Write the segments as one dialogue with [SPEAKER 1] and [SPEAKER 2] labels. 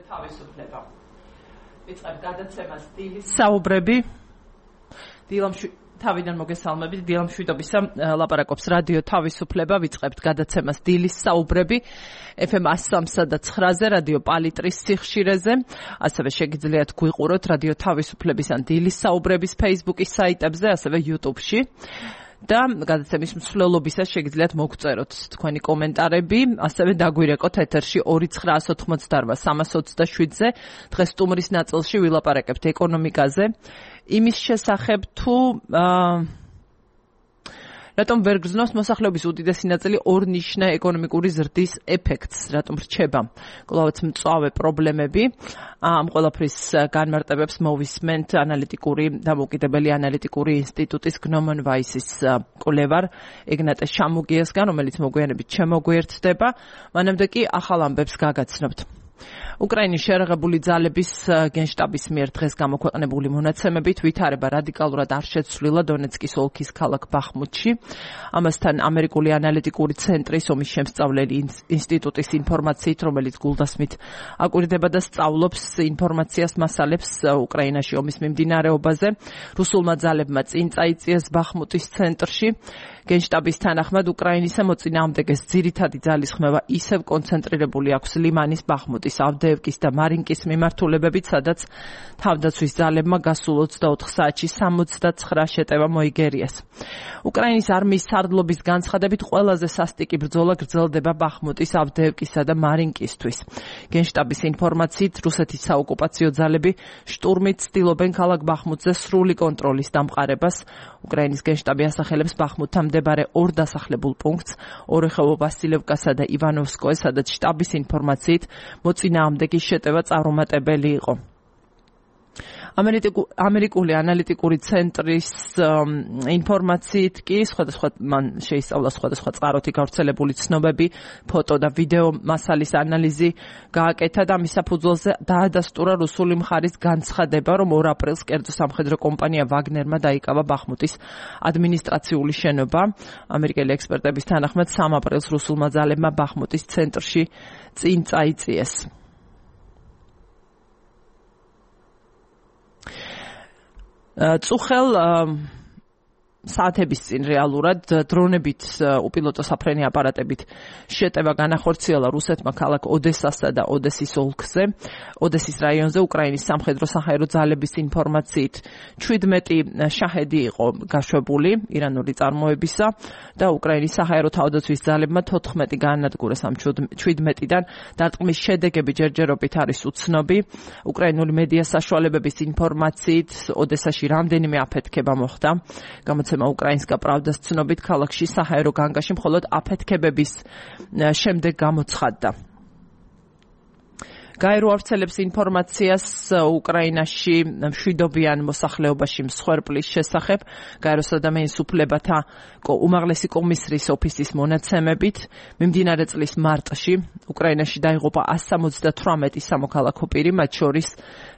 [SPEAKER 1] თავისუფლება. ვიწყებ გადაცემას დილის საუბრები. თავიდან მოგესალმებით, დილა მშვიდობისა ლაპარაკობს რადიო თავისუფლება, ვიწყებთ გადაცემას დილის საუბრები FM 103 და 9-ზე, რადიო პალიტრის სიხშირეზე, ასევე შეგიძლიათ გვიყუროთ რადიო თავისუფლების ან დილის საუბრების Facebook-ის საიტებზე, ასევე YouTube-ში. და გადაცემის მსვლელობისას შეგიძლიათ მოგწეროთ თქვენი კომენტარები, ასევე დაგვირეკოთ ეთერში 2988327-ზე. დღეს სტუმრის ნაწილში ვილაპარაკებთ ეკონომიკაზე, იმის შესახებ თუ რატომ ვერ გრძნობს მოსახლეობის უდიდესი ნაწილი ორნიშნა ეკონომიკური ზრდის ეფექტს, რატომ რჩება კლავაც მწვავე პრობლემები. ამ ყველაფრის განმარტებებს მოვისმენთ ანალიტიკური დამოუკიდებელი ანალიტიკური ინსტიტუტის Gnomon Weiss-ის კვლევარ ეგნატე შამუგიასგან, რომელიც მოგვიანებით შემოგვიერთდება. მანამდე კი ახალ ამბებს გაგაცნობთ. უკრაინის შეერაღებული ძალების გენშტაბის მიერ დღეს გამოქვეყნებული მონაცემებით ვითარება რადიკალურად არ შეცვლილა დონეცკის ოლქის ქალაქ ბახმუთში. ამასთან ამერიკული ანალიტიკური ცენტრის ომის შემსწავლელი ინსტიტუტის ინფორმაციით, რომელიც გულდასმით აკვირდება და სწავლობს ინფორმაციას მასალებს უკრაინაში ომის მიმდინარეობაზე, რუსულმა ძალებმა წინ წაიწიეს ბახმუტის ცენტრში. გენშტაბის თანახმად უკრაინისა მოწინააღმდეგეს ძირითადი ძალის ხმევა ისევ კონცენტრირებული აქვს ლიმანის, ბახმუტის, ავდეევკის და მარინკის მიმართულებებით, სადაც თავდაცვის ძალებმა გასულ 24 საათში 69 შეტევა მოიგერიეს. უკრაინის არმიის სარდლობის განცხადებით ყველაზე სასტიკი ბრძოლა გრძელდება ბახმუტის, ავდეევკისა და მარინკისთვის. გენშტაბის ინფორმაციით, რუსეთის საოკუპაციო ძალები შტურმით ცდილობენ ქალაქ ბახმუტზე სრული კონტროლის დამყარებას. უკრაინის გენშტაბი ასახელებს ბახმუტთან მდებარე ორ დასახლებულ პუნქტს, ორეხევო ვასილევკასა და ივანოვსკოეს, სადაც შტაბის ინფორმაციით მოწინააღმდეგის შეტევა წარუმატებელი იყო. ამერიკული ანალიტიკური ცენტრის ინფორმაციით კი მან შეისწავლა სხვადასხვა წყაროთი გავრცელებული ცნობები, ფოტო და ვიდეო მასალის ანალიზი გააკეთა და მის საფუძველზე დაადასტურა რუსული მხარის განცხადება, რომ 2 აპრილს კერძო სამხედრო კომპანია ვაგნერმა დაიკავა ბახმუტის ადმინისტრაციული შენობა. ამერიკელი ექსპერტების თანახმად 3 აპრილს რუსულმა ძალებმა ბახმუტის ცენტრში წინ წაიწიეს. წუხელ საათების წინ რეალურად დრონებით უპილოტო საფრენი აპარატებით შეტევა განახორციელა რუსეთმა ქალაქ ოდესასა და ოდესის ოლქზე, ოდესის რაიონზე. უკრაინის სამხედრო საჰაერო ძალების ინფორმაციით 17 შაჰედი იყო გაშვებული ირანული წარმოებისა და უკრაინის საჰაერო თავდაცვის ძალებმა 14 გაანადგურეს ამ 17-დან. დარტყმის შედეგები ჯერჯერობით არის უცნობი. უკრაინული მედია საშუალებების ინფორმაციით ოდესაში რამდენიმე აფეთქება მოხდა. უკრაინსკა პრავდას ცნობით, ქალაქში საჰაერო განგაში მხოლოდ აფეთქებების შემდეგ გამოცხადდა. გაერო ავრცელებს ინფორმაციას უკრაინაში მშვიდობიან მოსახლეობაში მსხვერპლის შესახებ. გაეროს ადამიანის უფლებათა უმაღლესი კომისრის ოფისის მონაცემებით, მიმდინარე წლის მარტში უკრაინაში დაიღუპა 178 სამოქალაქო პირი, მათ შორის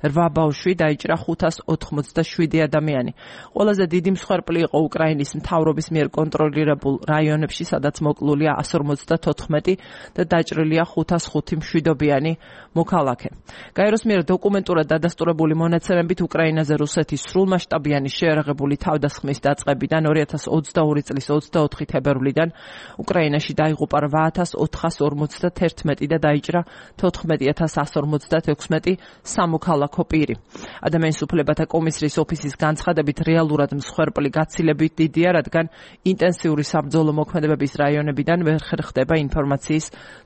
[SPEAKER 1] 8 ბავშვი, დაიჭრა 587 ადამიანი. ყველაზე დიდი მსხვერპლი იყო უკრაინის მთავრობის მიერ კონტროლირებულ რაიონებში, სადაც მოკლულია 154 და დაჭრილია 505 მშვიდობიანი მოქალაქე. გაეროს მიერ დოკუმენტურად დადასტურებული მონაცემებით უკრაინაზე რუსეთის სრულმასშტაბიანი შეერაღებული თავდასხმის დაწყებიდან 2022 წლის 24 თებერვლიდან უკრაინაში დაიღუპა 8451 და დაიჭრა 14156 სამოქალაქო პირი. ადამიანის უფლებათა კომისრის ოფისის განცხადებით რეალურად მსხვერპლი გაცილებით დიდია, რადგან ინტენსიური საბრძოლო მოქმედებების რაიონებიდან ვერ ხერხდება ინფორმაციის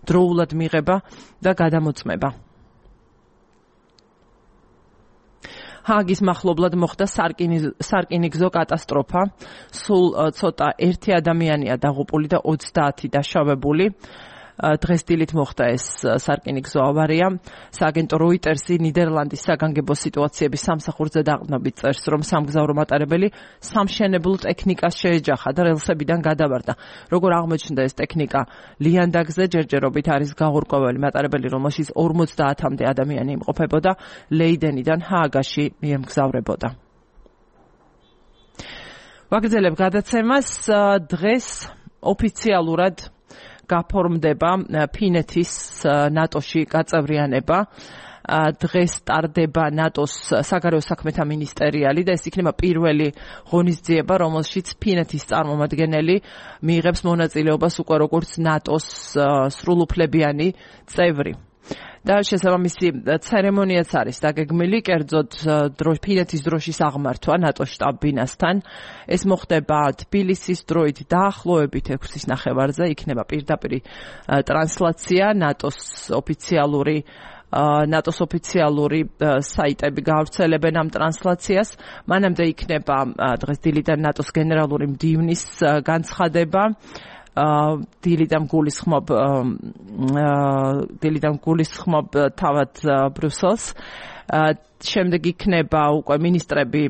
[SPEAKER 1] დროულად მიღება და გადამოწმება. ჰააგის მახლობლად მოხდა სარკინიგზო კატასტროფა. სულ ცოტა 1 ადამიანია დაღუპული და 30 დაშავებული. დღეს დილით მოხდა ეს სარკინიგზო ავარია. სააგენტო როიტერსი ნიდერლანდის საგანგებო სიტუაციების სამსახურზე დაყრდნობით წერს, რომ სამგზავრო მატარებელი სამშენებლო ტექნიკას შეეჯახა და რელსებიდან გადავარდა. როგორ აღმოჩნდა ეს ტექნიკა ლიანდაგზე, ჯერჯერობით არის გაურკვეველი მატარებელი, რომელშიც 50-მდე ადამიანი იმყოფებოდა, ლეიდენიდან ჰააგაში მიემგზავრებოდა. ვაგრძელებ გადაცემას. დღეს ოფიციალურად გაფორმდება ფინეთის ნატოში გაწევრიანება. დღეს ტარდება ნატოს საგარეო საქმეთა მინისტერიალი და ეს იქნება პირველი ღონისძიება, რომელშიც ფინეთის წარმომადგენელი მიიღებს მონაწილეობას უკვე როგორც ნატოს სრულუფლებიანი წევრი. და შესაბამისი ცერემონიაც არის დაგეგმილი, კერძოდ ფინეთის დროშის აღმართვა ნატოს შტაბ-ბინასთან. ეს მოხდება თბილისის დროით დაახლოებით 6-ის ნახევარზე, იქნება პირდაპირ ტრანსლაცია ნატოს ოფიციალური საიტები გავრცელებენ ამ ტრანსლაციას. მანამდე იქნება დღეს დილიდან ნატოს გენერალური მდივნის განცხადება. დილიდან გულისხმობ თავად ბრიუსელს. შემდეგ იქნება უკვე მინისტრები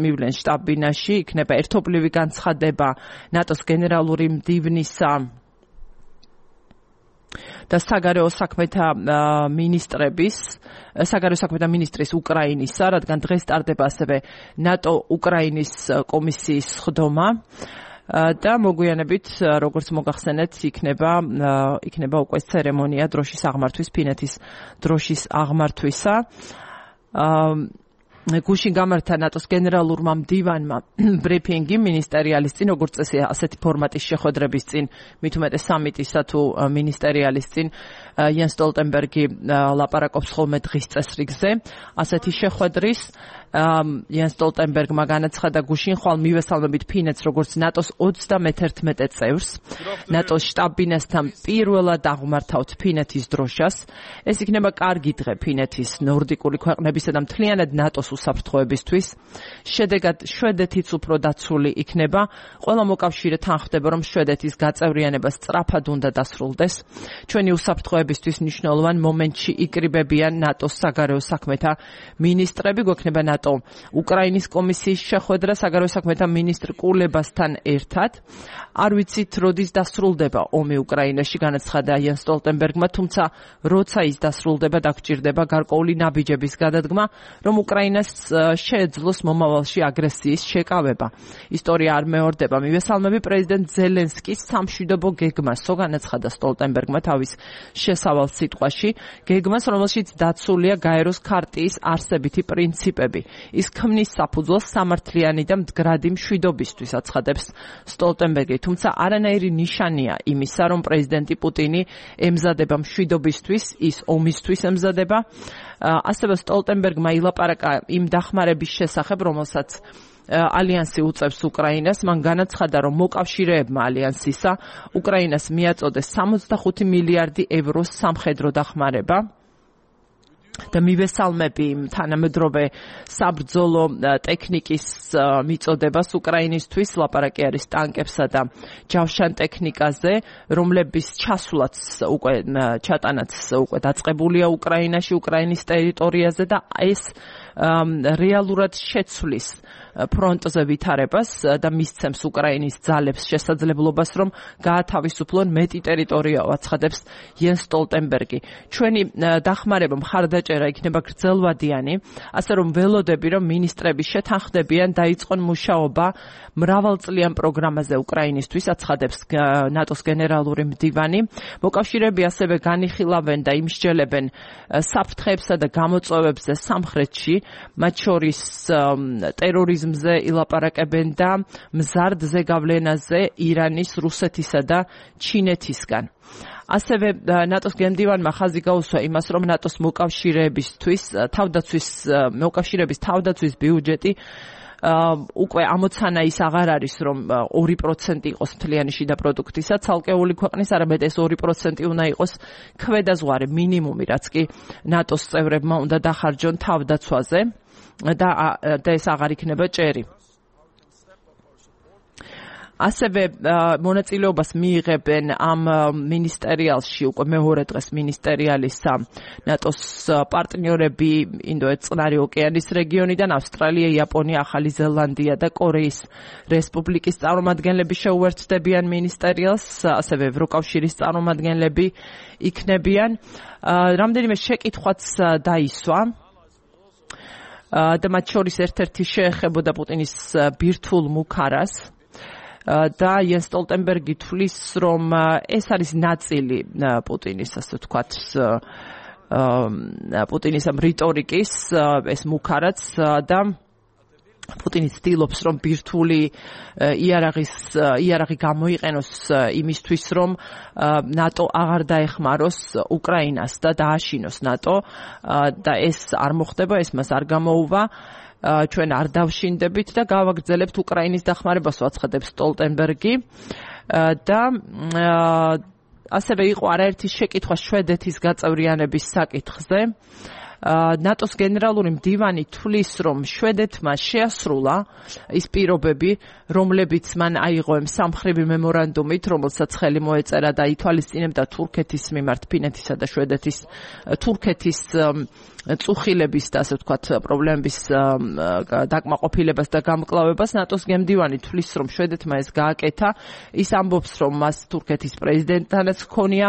[SPEAKER 1] მივლენ შტაბ-ბინაში, იქნება ერთობლივი განცხადება ნატოს გენერალური მდივნისა და საგარეო საქმეთა მინისტრის უკრაინისა, რადგან დღეს ტარდება ასევე ნატო-უკრაინის კომისიის სხდომა. და მოგვიანებით, როგორც მოგახსენეთ, იქნება უკვე ცერემონია დროშის აღმართვის, ფინეთის დროშის აღმართვისა. გუშინ გამართა ნატოს გენერალურმა მდივანმა ბრიფინგი მინისტერიალის წინ, როგორც წესია, ასეთი ფორმატის შეხვედრების წინ, მით უმეტეს სამიტისა თუ მინისტერიალის წინ, იენს სტოლტენბერგი ლაპარაკობს ხოლმე დღის წესრიგზე. ასეთი შეხვედრის იენს სტოლტენბერგმა განაცხადა გუშინ ხვალ მივესალმებით ფინეთს როგორც ნატოს 31 წევრს. ნატოს შტაბ-ბინასთან პირველად აღმართავთ ფინეთის დროშას. ეს იქნება კარგი დღე ფინეთის, ნორდიკური ქვეყნებისა და მთლიანად ნატოს უსაფრთხოებისთვის. შედეგად შვედეთიც უფრო დაცული იქნება. ყველა მოკავშირე თანხმდება, რომ შვედეთის გაწევრიანება სწრაფად უნდა დასრულდეს. ჩვენი უსაფრთხოებისთვის მნიშვნელოვან მომენტში იკრიბებიან ნატოს საგარეო საქმეთა მინისტრები. გვექნება უკრაინის კომისიის შეხვედრა საგარეო საქმეთა მინისტრ კულებასთან ერთად. არ ვიცით, როდის დასრულდება ომი უკრაინაში, განაცხადა იენს სტოლტენბერგმა, თუმცა როცა ის დასრულდება, დაგჭირდება გარკვეული ნაბიჯების გადადგმა, რომ უკრაინას შეეძლოს მომავალში აგრესიის შეკავება. ისტორია არ მეორდება. მივესალმები პრეზიდენტ ზელენსკის სამშვიდობო გეგმასო, განაცხადა სტოლტენბერგმა თავის შესავალ სიტყვაში, გეგმას, რომელშიც დაცულია გაეროს ქარტიის არსებითი პრინციპები. ის ქმნის საფუძველს სამართლიანი და მდგრადი მშვიდობისთვის, აცხადებს სტოლტენბერგი, თუმცა არანაირი ნიშანია იმისა, რომ პრეზიდენტი პუტინი ემზადება მშვიდობისთვის, ის ომისთვის ემზადება. ასევე სტოლტენბერგმა ილაპარაკა იმ დახმარების შესახებ, რომელსაც ალიანსი უწევს უკრაინას. მან განაცხადა, რომ მოკავშირეებმა ალიანსისა უკრაინას მიაწოდეს 65 მილიარდი ევროს სამხედრო დახმარება. და მივესალმები თანამედროვე საბრძოლო ტექნიკის მიწოდებას უკრაინისთვის, ლაპარაკი არის ტანკებსა და ჯავშან ტექნიკაზე, რომლების ჩასვლაც ჩატანაც უკვე დაწყებულია უკრაინაში, უკრაინის ტერიტორიაზე და ეს რეალურად შეცვლის ფრონტზე ვითარებას და მისცემს უკრაინის ძალებს შესაძლებლობას, რომ გაათავისუფლონ მეტი ტერიტორია, აცხადებს იენს სტოლტენბერგი. ჩვენი დახმარება მხარდაჭერა იქნება გრძელვადიანი, ასე რომ ველოდები, რომ მინისტრები შეთანხმდებიან, დაიწყონ მუშაობა მრავალწლიან პროგრამაზე უკრაინისთვის, აცხადებს ნატოს გენერალური მდივანი. მოკავშირეები ასევე განიხილავენ და იმსჯელებენ საფრთხეებსა და გამოწვევებზე სამხრეთში, მათ შორის ტერორიზმზე ილაპარაკებენ და მზარდ ზეგავლენაზე ირანის, რუსეთისა და ჩინეთისგან. ასევე ნატოს გენდივანმა ხაზი გაუსვა იმას, რომ ნატოს მოკავშირეების თავდაცვის ბიუჯეტი უკვე ამოცანა ის აღარ არის, რომ 2% იყოს მთლიანი შიდა პროდუქტისა, ცალკეული ქვეყნის, არამედ ეს 2% უნდა იყოს ქვედაზღვარი მინიმუმი, რაც კი ნატოს წევრებმა უნდა დახარჯონ თავდაცვაზე და ეს აღარ იქნება ჭერი. ასევე მონაწილეობას მიიღებენ ამ მინისტერიალში უკვე მეორე დღეს მინისტერიალისა ნატოს პარტნიორები ინდოეთ-წყნარი ოკეანის რეგიონიდან, ავსტრალია, იაპონია, ახალი ზელანდია და კორეის რესპუბლიკის წარმომადგენლები შეუერთდებიან მინისტერიალს, ასევე ევროკავშირის წარმომადგენლები იქნებიან. რამდენიმე შეკითხვაც დაისვა და მათ შორის ერთ-ერთი შეეხებოდა პუტინის ბირთვულ მუქარას. და იენს სტოლტენბერგი თვლის, რომ ეს არის ნაწილი პუტინის, ასე ვთქვათ, პუტინის ამ რიტორიკის ეს მუქარაც და პუტინი ცდილობს რომ ბირთვული იარაღი გამოიყენოს იმისთვის რომ ნატო აღარ დაეხმაროს უკრაინას და დააშინოს ნატო და ეს არ მოხდება, ეს მას არ გამოუვა. ჩვენ არ დავშინდებით და გავაგრძელებთ უკრაინის დახმარებას, აცხადებს სტოლტენბერგი და ასევე იყო არაერთი შეკითხვა შვედეთის გაწევრიანების საკითხზე. ნატოს გენერალური მდივანი თვლის, რომ შვედეთმა შეასრულა ის პირობები, რომლებიც მან აიღო სამხრივი მემორანდუმით, რომელსაც ხელი მოეწერა და ითვალისწინებდა თურქეთის მიმართ ფინეთისა და შვედეთის თურქეთის წუხილების და ასე ვთქვათ პრობლემების დაკმაყოფილებას და გამკლავებას. ნატოს გემდივანი თვლის, რომ შვედეთმა ეს გააკეთა. ის ამბობს, რომ მას თურქეთის პრეზიდენტთანაც ჰქონია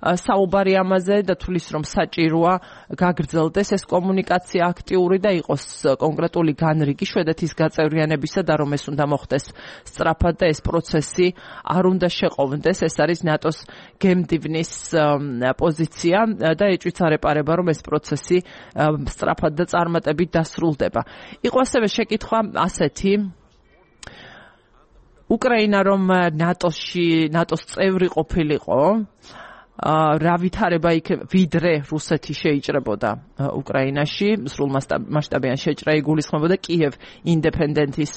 [SPEAKER 1] საუბარი ამაზე და თვლის, რომ საჭიროა გაგრძელდეს ეს კომუნიკაცია აქტიური და იყოს კონკრეტული განრიგი შვედეთის გაწევრიანებისა და რომ ეს უნდა მოხდეს სწრაფად და ეს პროცესი არ უნდა შეყოვდეს. ეს არის ნატოს გემდივნის პოზიცია და ეჭვიც არ ეპარება, რომ ეს პროცესი სწრაფად და წარმატებით დასრულდება. იყო ასევე შეკითხვა ასეთი, უკრაინა რომ ნატოს წევრი ყოფილიყო, რა ვითარება იქნება, ვიდრე რუსეთი შეიჭრებოდა უკრაინაში, სრულმასშტაბიან შეჭრა იგულისხმებოდა კიევ ინდეპენდენტის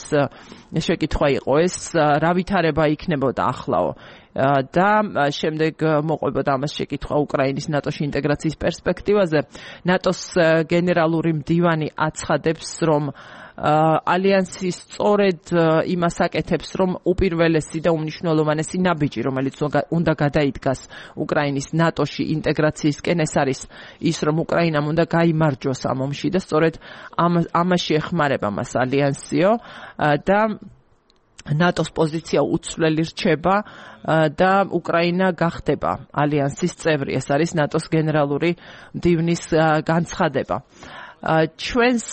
[SPEAKER 1] შეკითხვა იყო ეს, რა ვითარება იქნებოდა ახლაო და შემდეგ მოყვებოდა ამას შეკითხვა უკრაინის ნატოში ინტეგრაციის პერსპექტივაზე. ნატოს გენერალური მდივანი აცხადებს, რომ ალიანსი სწორედ იმას აკეთებს, რომ უპირველესი და უმნიშვნელოვანესი ნაბიჯი, რომელიც უნდა გადაიდგას უკრაინის ნატოში ინტეგრაციისკენ, ეს არის ის, რომ უკრაინამ უნდა გაიმარჯვოს ამ ომში და სწორედ ამაში ეხმარება მას ალიანსიო და ნატოს პოზიცია უცვლელი რჩება და უკრაინა გახდება ალიანსის წევრი. ეს არის ნატოს გენერალური მდივნის განცხადება. ჩვენს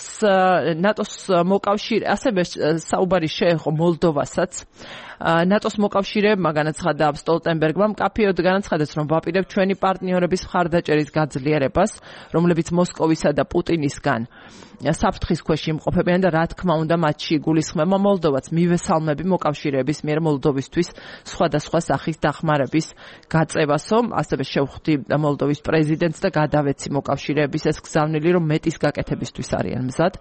[SPEAKER 1] ნატოს მოკავშირე ასევე საუბარი შეეხო მოლდოვასაც. ნატოს მოკავშირეებმა განაცხადა სტოლტენბერგმა, მკაფიოდ განაცხადეს, რომ ვაპირებთ ჩვენი პარტნიორების მხარდაჭერის გაძლიერებას, რომლებიც მოსკოვისა და პუტინისგან საფრთხის ქვეშ იმყოფებიან და რა თქმა უნდა მათში იგულისხმება მოლდოვაც. მივესალმები მოკავშირეების მიერ მოლდოვისთვის სხვადასხვა სახის დახმარების გაწევასო. ასევე შევხვდი მოლდოვის პრეზიდენტს და გადავეცი მოკავშირეების ეს გზავნილი, რომ მეტის გაკეთებისთვის არიან მზად.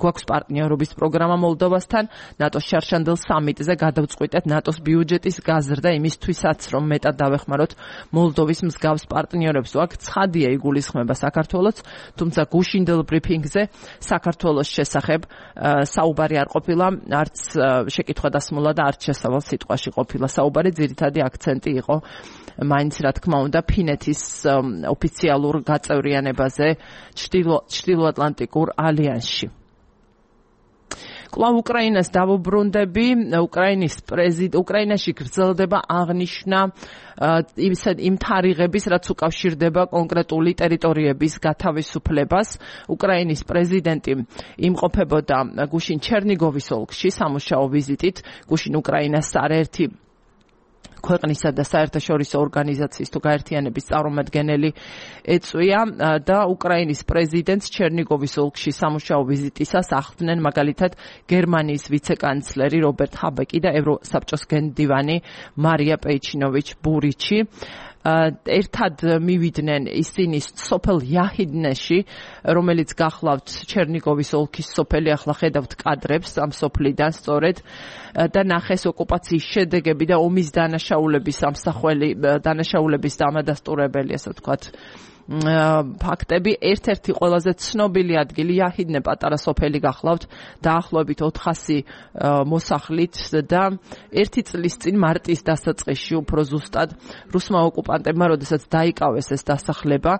[SPEAKER 1] გვაქვს პარტნიორობის პროგრამა მოლდოვასთან, ნატოს შარშანდელ სამიტზე გადავწყვიტეთ ნატოს ბიუჯეტის გაზრდა იმისთვისაც, რომ მეტად დავეხმაროთ მოლდოვის მსგავს პარტნიორებს. აქ ცხადია იგულისხმება საქართველოს, თუმცა გუშინდელ ბრიფინგზე საქართველოს შესახებ საუბარი არ ყოფილა, არც შეკითხვა დასმულა და არც შესავალ სიტყვაში ყოფილა საუბარი. ძირითადი აქცენტი იყო მაინც რა თქმა უნდა ფინეთის ოფიციალურ გაწევრიანებაზე ჩრდილოატლანტიკურ ალიანსში. კვლავ უკრაინას დავუბრუნდები. უკრაინაში გრძელდება აღნიშვნა იმ თარიღების, რაც უკავშირდება კონკრეტული ტერიტორიების გათავისუფლებას. უკრაინის პრეზიდენტი იმყოფებოდა გუშინ ჩერნიგოვის ოლქში სამუშაო ვიზიტით. გუშინ უკრაინას არაერთი ქვეყნისა და საერთაშორისო ორგანიზაციის თუ გაერთიანების წარმომადგენელი ეწვია და უკრაინის პრეზიდენტს ჩერნიგოვის ოლქში სამუშაო ვიზიტისას ახლდნენ მაგალითად გერმანიის ვიცეკანცლერი რობერტ ჰაბეკი და ევროსაბჭოს გენდივანი მარია პეიჩინოვიჩ ბურიჩი. ერთად მივიდნენ ისინი სოფელ იაჰიდნეში, რომელიც გახლავთ ჩერნიგოვის ოლქის სოფელი, ახლა ხედავთ კადრებს ამ სოფლიდან სწორედ და ნახეს ოკუპაციის შედეგები და ომის დანაშაულების ამსახველი დანაშაულების დამადასტურებელი, ასე ვთქვათ, ფაქტები. ერთ-ერთი ყველაზე ცნობილი ადგილი იაჰიდნე პატარა სოფელი გახლავთ დაახლოებით 400 მოსახლით და 1 წლის წინ მარტის დასაწყისში უფრო ზუსტად რუსმა ოკუპანტებმა როდესაც დაიკავეს ეს დასახლება,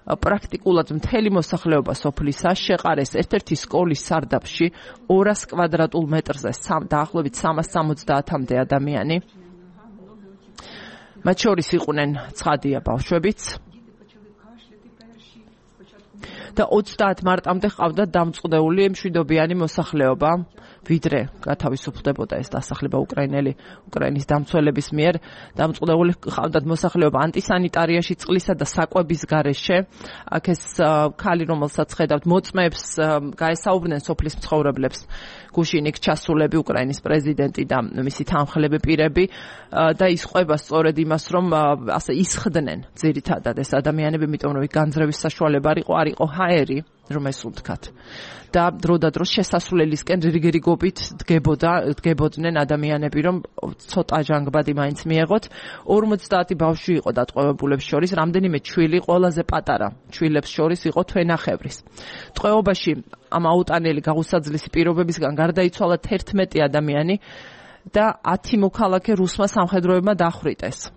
[SPEAKER 1] პრაქტიკულად მთელი მოსახლეობა სოფლისა შეყარეს ერთ-ერთი სკოლის სარდაფში 200 კვადრატულ მეტრზე დაახლოებით 370-მდე ადამიანი. მათ შორის იყვნენ ცხადია ბავშვებიც. და 30 მარტამდე ყავდა დამწყვდეული მშვიდობიანი მოსახლეობა, ვიდრე გათავისუფლდებოდა ეს დასახლება უკრაინის დამცველების მიერ. დამწყვდეული ყავდათ მოსახლეობა ანტისანიტარიაში, წყლისა და საკვების გარეშე. აქ ეს ქალი, რომელსაც ხედავთ, მოწმეებს გაესაუბრნენ სოფლის მცხოვრებლებს. გუშინ იქ ჩასულები უკრაინის პრეზიდენტი და მისი თანმხლები პირები და ის ყვება სწორედ იმას, რომ ასე ისხდნენ ძირითადად ეს ადამიანები, იმიტომ რომ იქ განძრევის საშუალება არ იყო ჰაერი, რომ ეს უთქათ. და დროდადრო შესასვლელისკენ რიგრიგობით დგებოდნენ ადამიანები, რომ ცოტა ჟანგბადი მაინც მიეღოთ. 50 ბავშვი იყო დატყვევებულებს შორის, რამდენიმე ჩვილი, ყველაზე პატარა ჩვილებს შორის იყო თვენახევრის. ტყვეობაში ამ აუტანელი გაუსაძლისი პირობებისგან გარდაიცვალა 11 ადამიანი და 10 მოქალაქე რუსმა სამხედროებმა დახვრიტეს.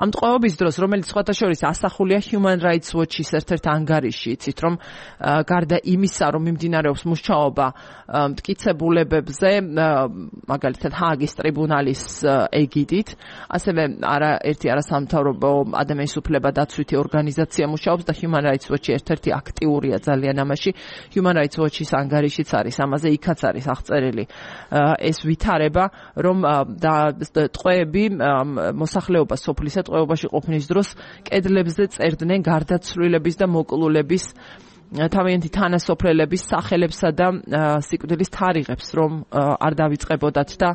[SPEAKER 1] ამ ტყვეობის დროს, რომელიც სხვათა შორის ასახულია Human Rights Watch-ის ერთ-ერთ ანგარიში, იცით რომ გარდა იმისა, რომ მიმდინარეობს მუშაობა მტკიცებულებებზე, მაგალითად ჰააგის ტრიბუნალის ეგიდით, ასევე არაერთი არასამთავრობო ადამიანის უფლება დაცვითი ორგანიზაცია მუშაობს და Human Rights Watch-ი ერთ-ერთი აქტიურია ძალიან ამაში. Human Rights Watch-ის ანგარიშიც არის ამაზე, იქაც არის აღწერილი ეს ვითარება, რომ ტყვეები მოსახლეობა სოფლისა ტყვეობაში ყოფნის დროს კედლებზე წერდნენ გარდაცვლილების და მოკლულების თავიანთი თანასოფლელების სახელებსა და სიკვდილის თარიღებს, რომ არ დავიწყებოდათ და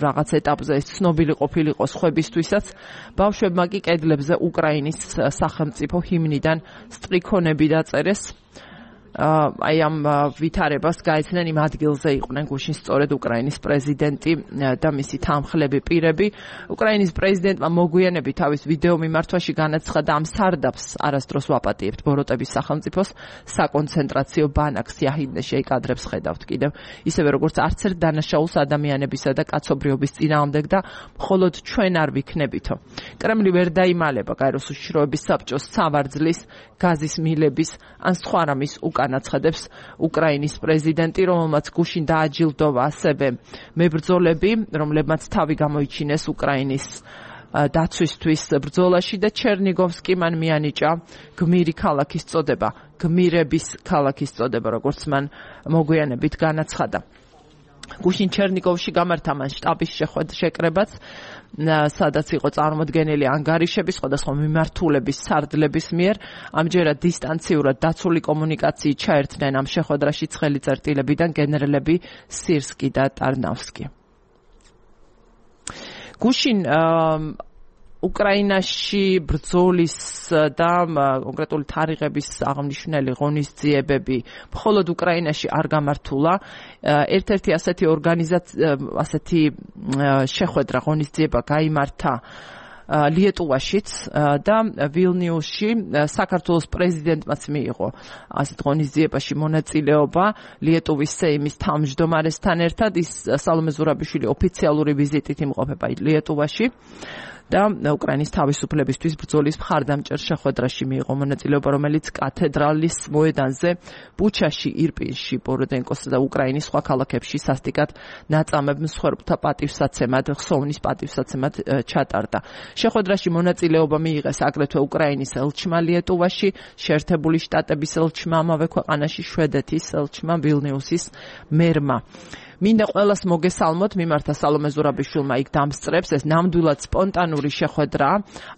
[SPEAKER 1] რაღაც ეტაპზე ეს ცნობილი ყოფილიყო სხვებისთვისაც. ბავშვებმა კი კედლებზე უკრაინის სახელმწიფო ჰიმნიდან სტრიქონები დაწერეს. აი ამ ვითარებას გაეცნენ იმ ადგილზე იყვნენ გუშინ სწორედ უკრაინის პრეზიდენტი და მისი თანმხლები პირები. უკრაინის პრეზიდენტმა მოგვიანებით თავის ვიდეო მიმართვაში განაცხადა, ამ სარდაფს არასდროს ვაპატიებთ ბოროტების სახელმწიფოს საკონცენტრაციო ბანაკს იაჰიდნეში კადრებს ხედავთ კიდევ ისევე როგორც არც ერთ დანაშაულს ადამიანებისა და კაცობრიობის წინააღმდეგ და მხოლოდ ჩვენ არ ვიქნებითო. კრემლი ვერ დაიმალება გაეროს უშიშროების საბჭოს სავარძლის, გაზის მილების ან სხვა რამის განაცხადებს უკრაინის პრეზიდენტი, რომელმაც გუშინ დააჯილდოვა ასევე მებრძოლები, რომლებმაც თავი გამოიჩინეს უკრაინის დაცვისთვის ბრძოლაში და ჩერნიგოვსკი მან მიანიჭა გმირი ქალაქის წოდება, გმირების ქალაქის წოდება, როგორც მან მოგვიანებით განაცხადა. გუშინ ჩერნიგოვში გამართა მან შტაბის შეკრებაც, სადაც იყო წარმოდგენილი ანგარიშები სხვადასხვა მიმართულების სარდლების მიერ. ამჯერად დისტანციურად დაცული კომუნიკაციით ჩაერთნენ ამ შეხვედრაში ცხელი წერტილებიდან გენერლები სირსკი და ტარნავსკი. გუშინ უკრაინაში ბრძოლის და კონკრეტული თარიღების აღნიშნული ღონისძიებები მხოლოდ უკრაინაში არ გამართულა. ერთ-ერთი ასეთი შეხვედრა ღონისძიება გაიმართა ლიეტუვაშიც და ვილნიუსში საქართველოს პრეზიდენტმაც მიიღო ასეთ ღონისძიებაში მონაწილეობა ლიეტუვის სეიმის თავმჯდომარესთან ერთად. ის სალომე ზურაბიშვილი ოფიციალური ვიზიტით იმყოფება ლიეტუვაში და უკრაინის თავისუფლებისთვის ბრძოლის მხარდამჭერ შეხვედრაში მიიღო მონაწილეობა, რომელიც კათედრალის მოედანზე ბუჩაში, ირპინში, ბოროდენკოსა და უკრაინის სხვა ქალაქებში სასტიკად ნაწამებ მსხვერპლთა პატივსაცემად, ხსოვნის პატივსაცემად ჩატარდა. შეხვედრაში მონაწილეობა მიიღეს აგრეთვე უკრაინის ელჩმა ლიეტუვაში, შეერთებული შტატების ელჩმა ამავე ქვეყანაში, შვედეთის ელჩმა, ვილნიუსის მერმა. მინდა ყველას მოგესალმოთ, მიმართა სალომე ზურაბიშვილმა იქ დამსწრებს, ეს ნამდვილად სპონტანური შეხვედრა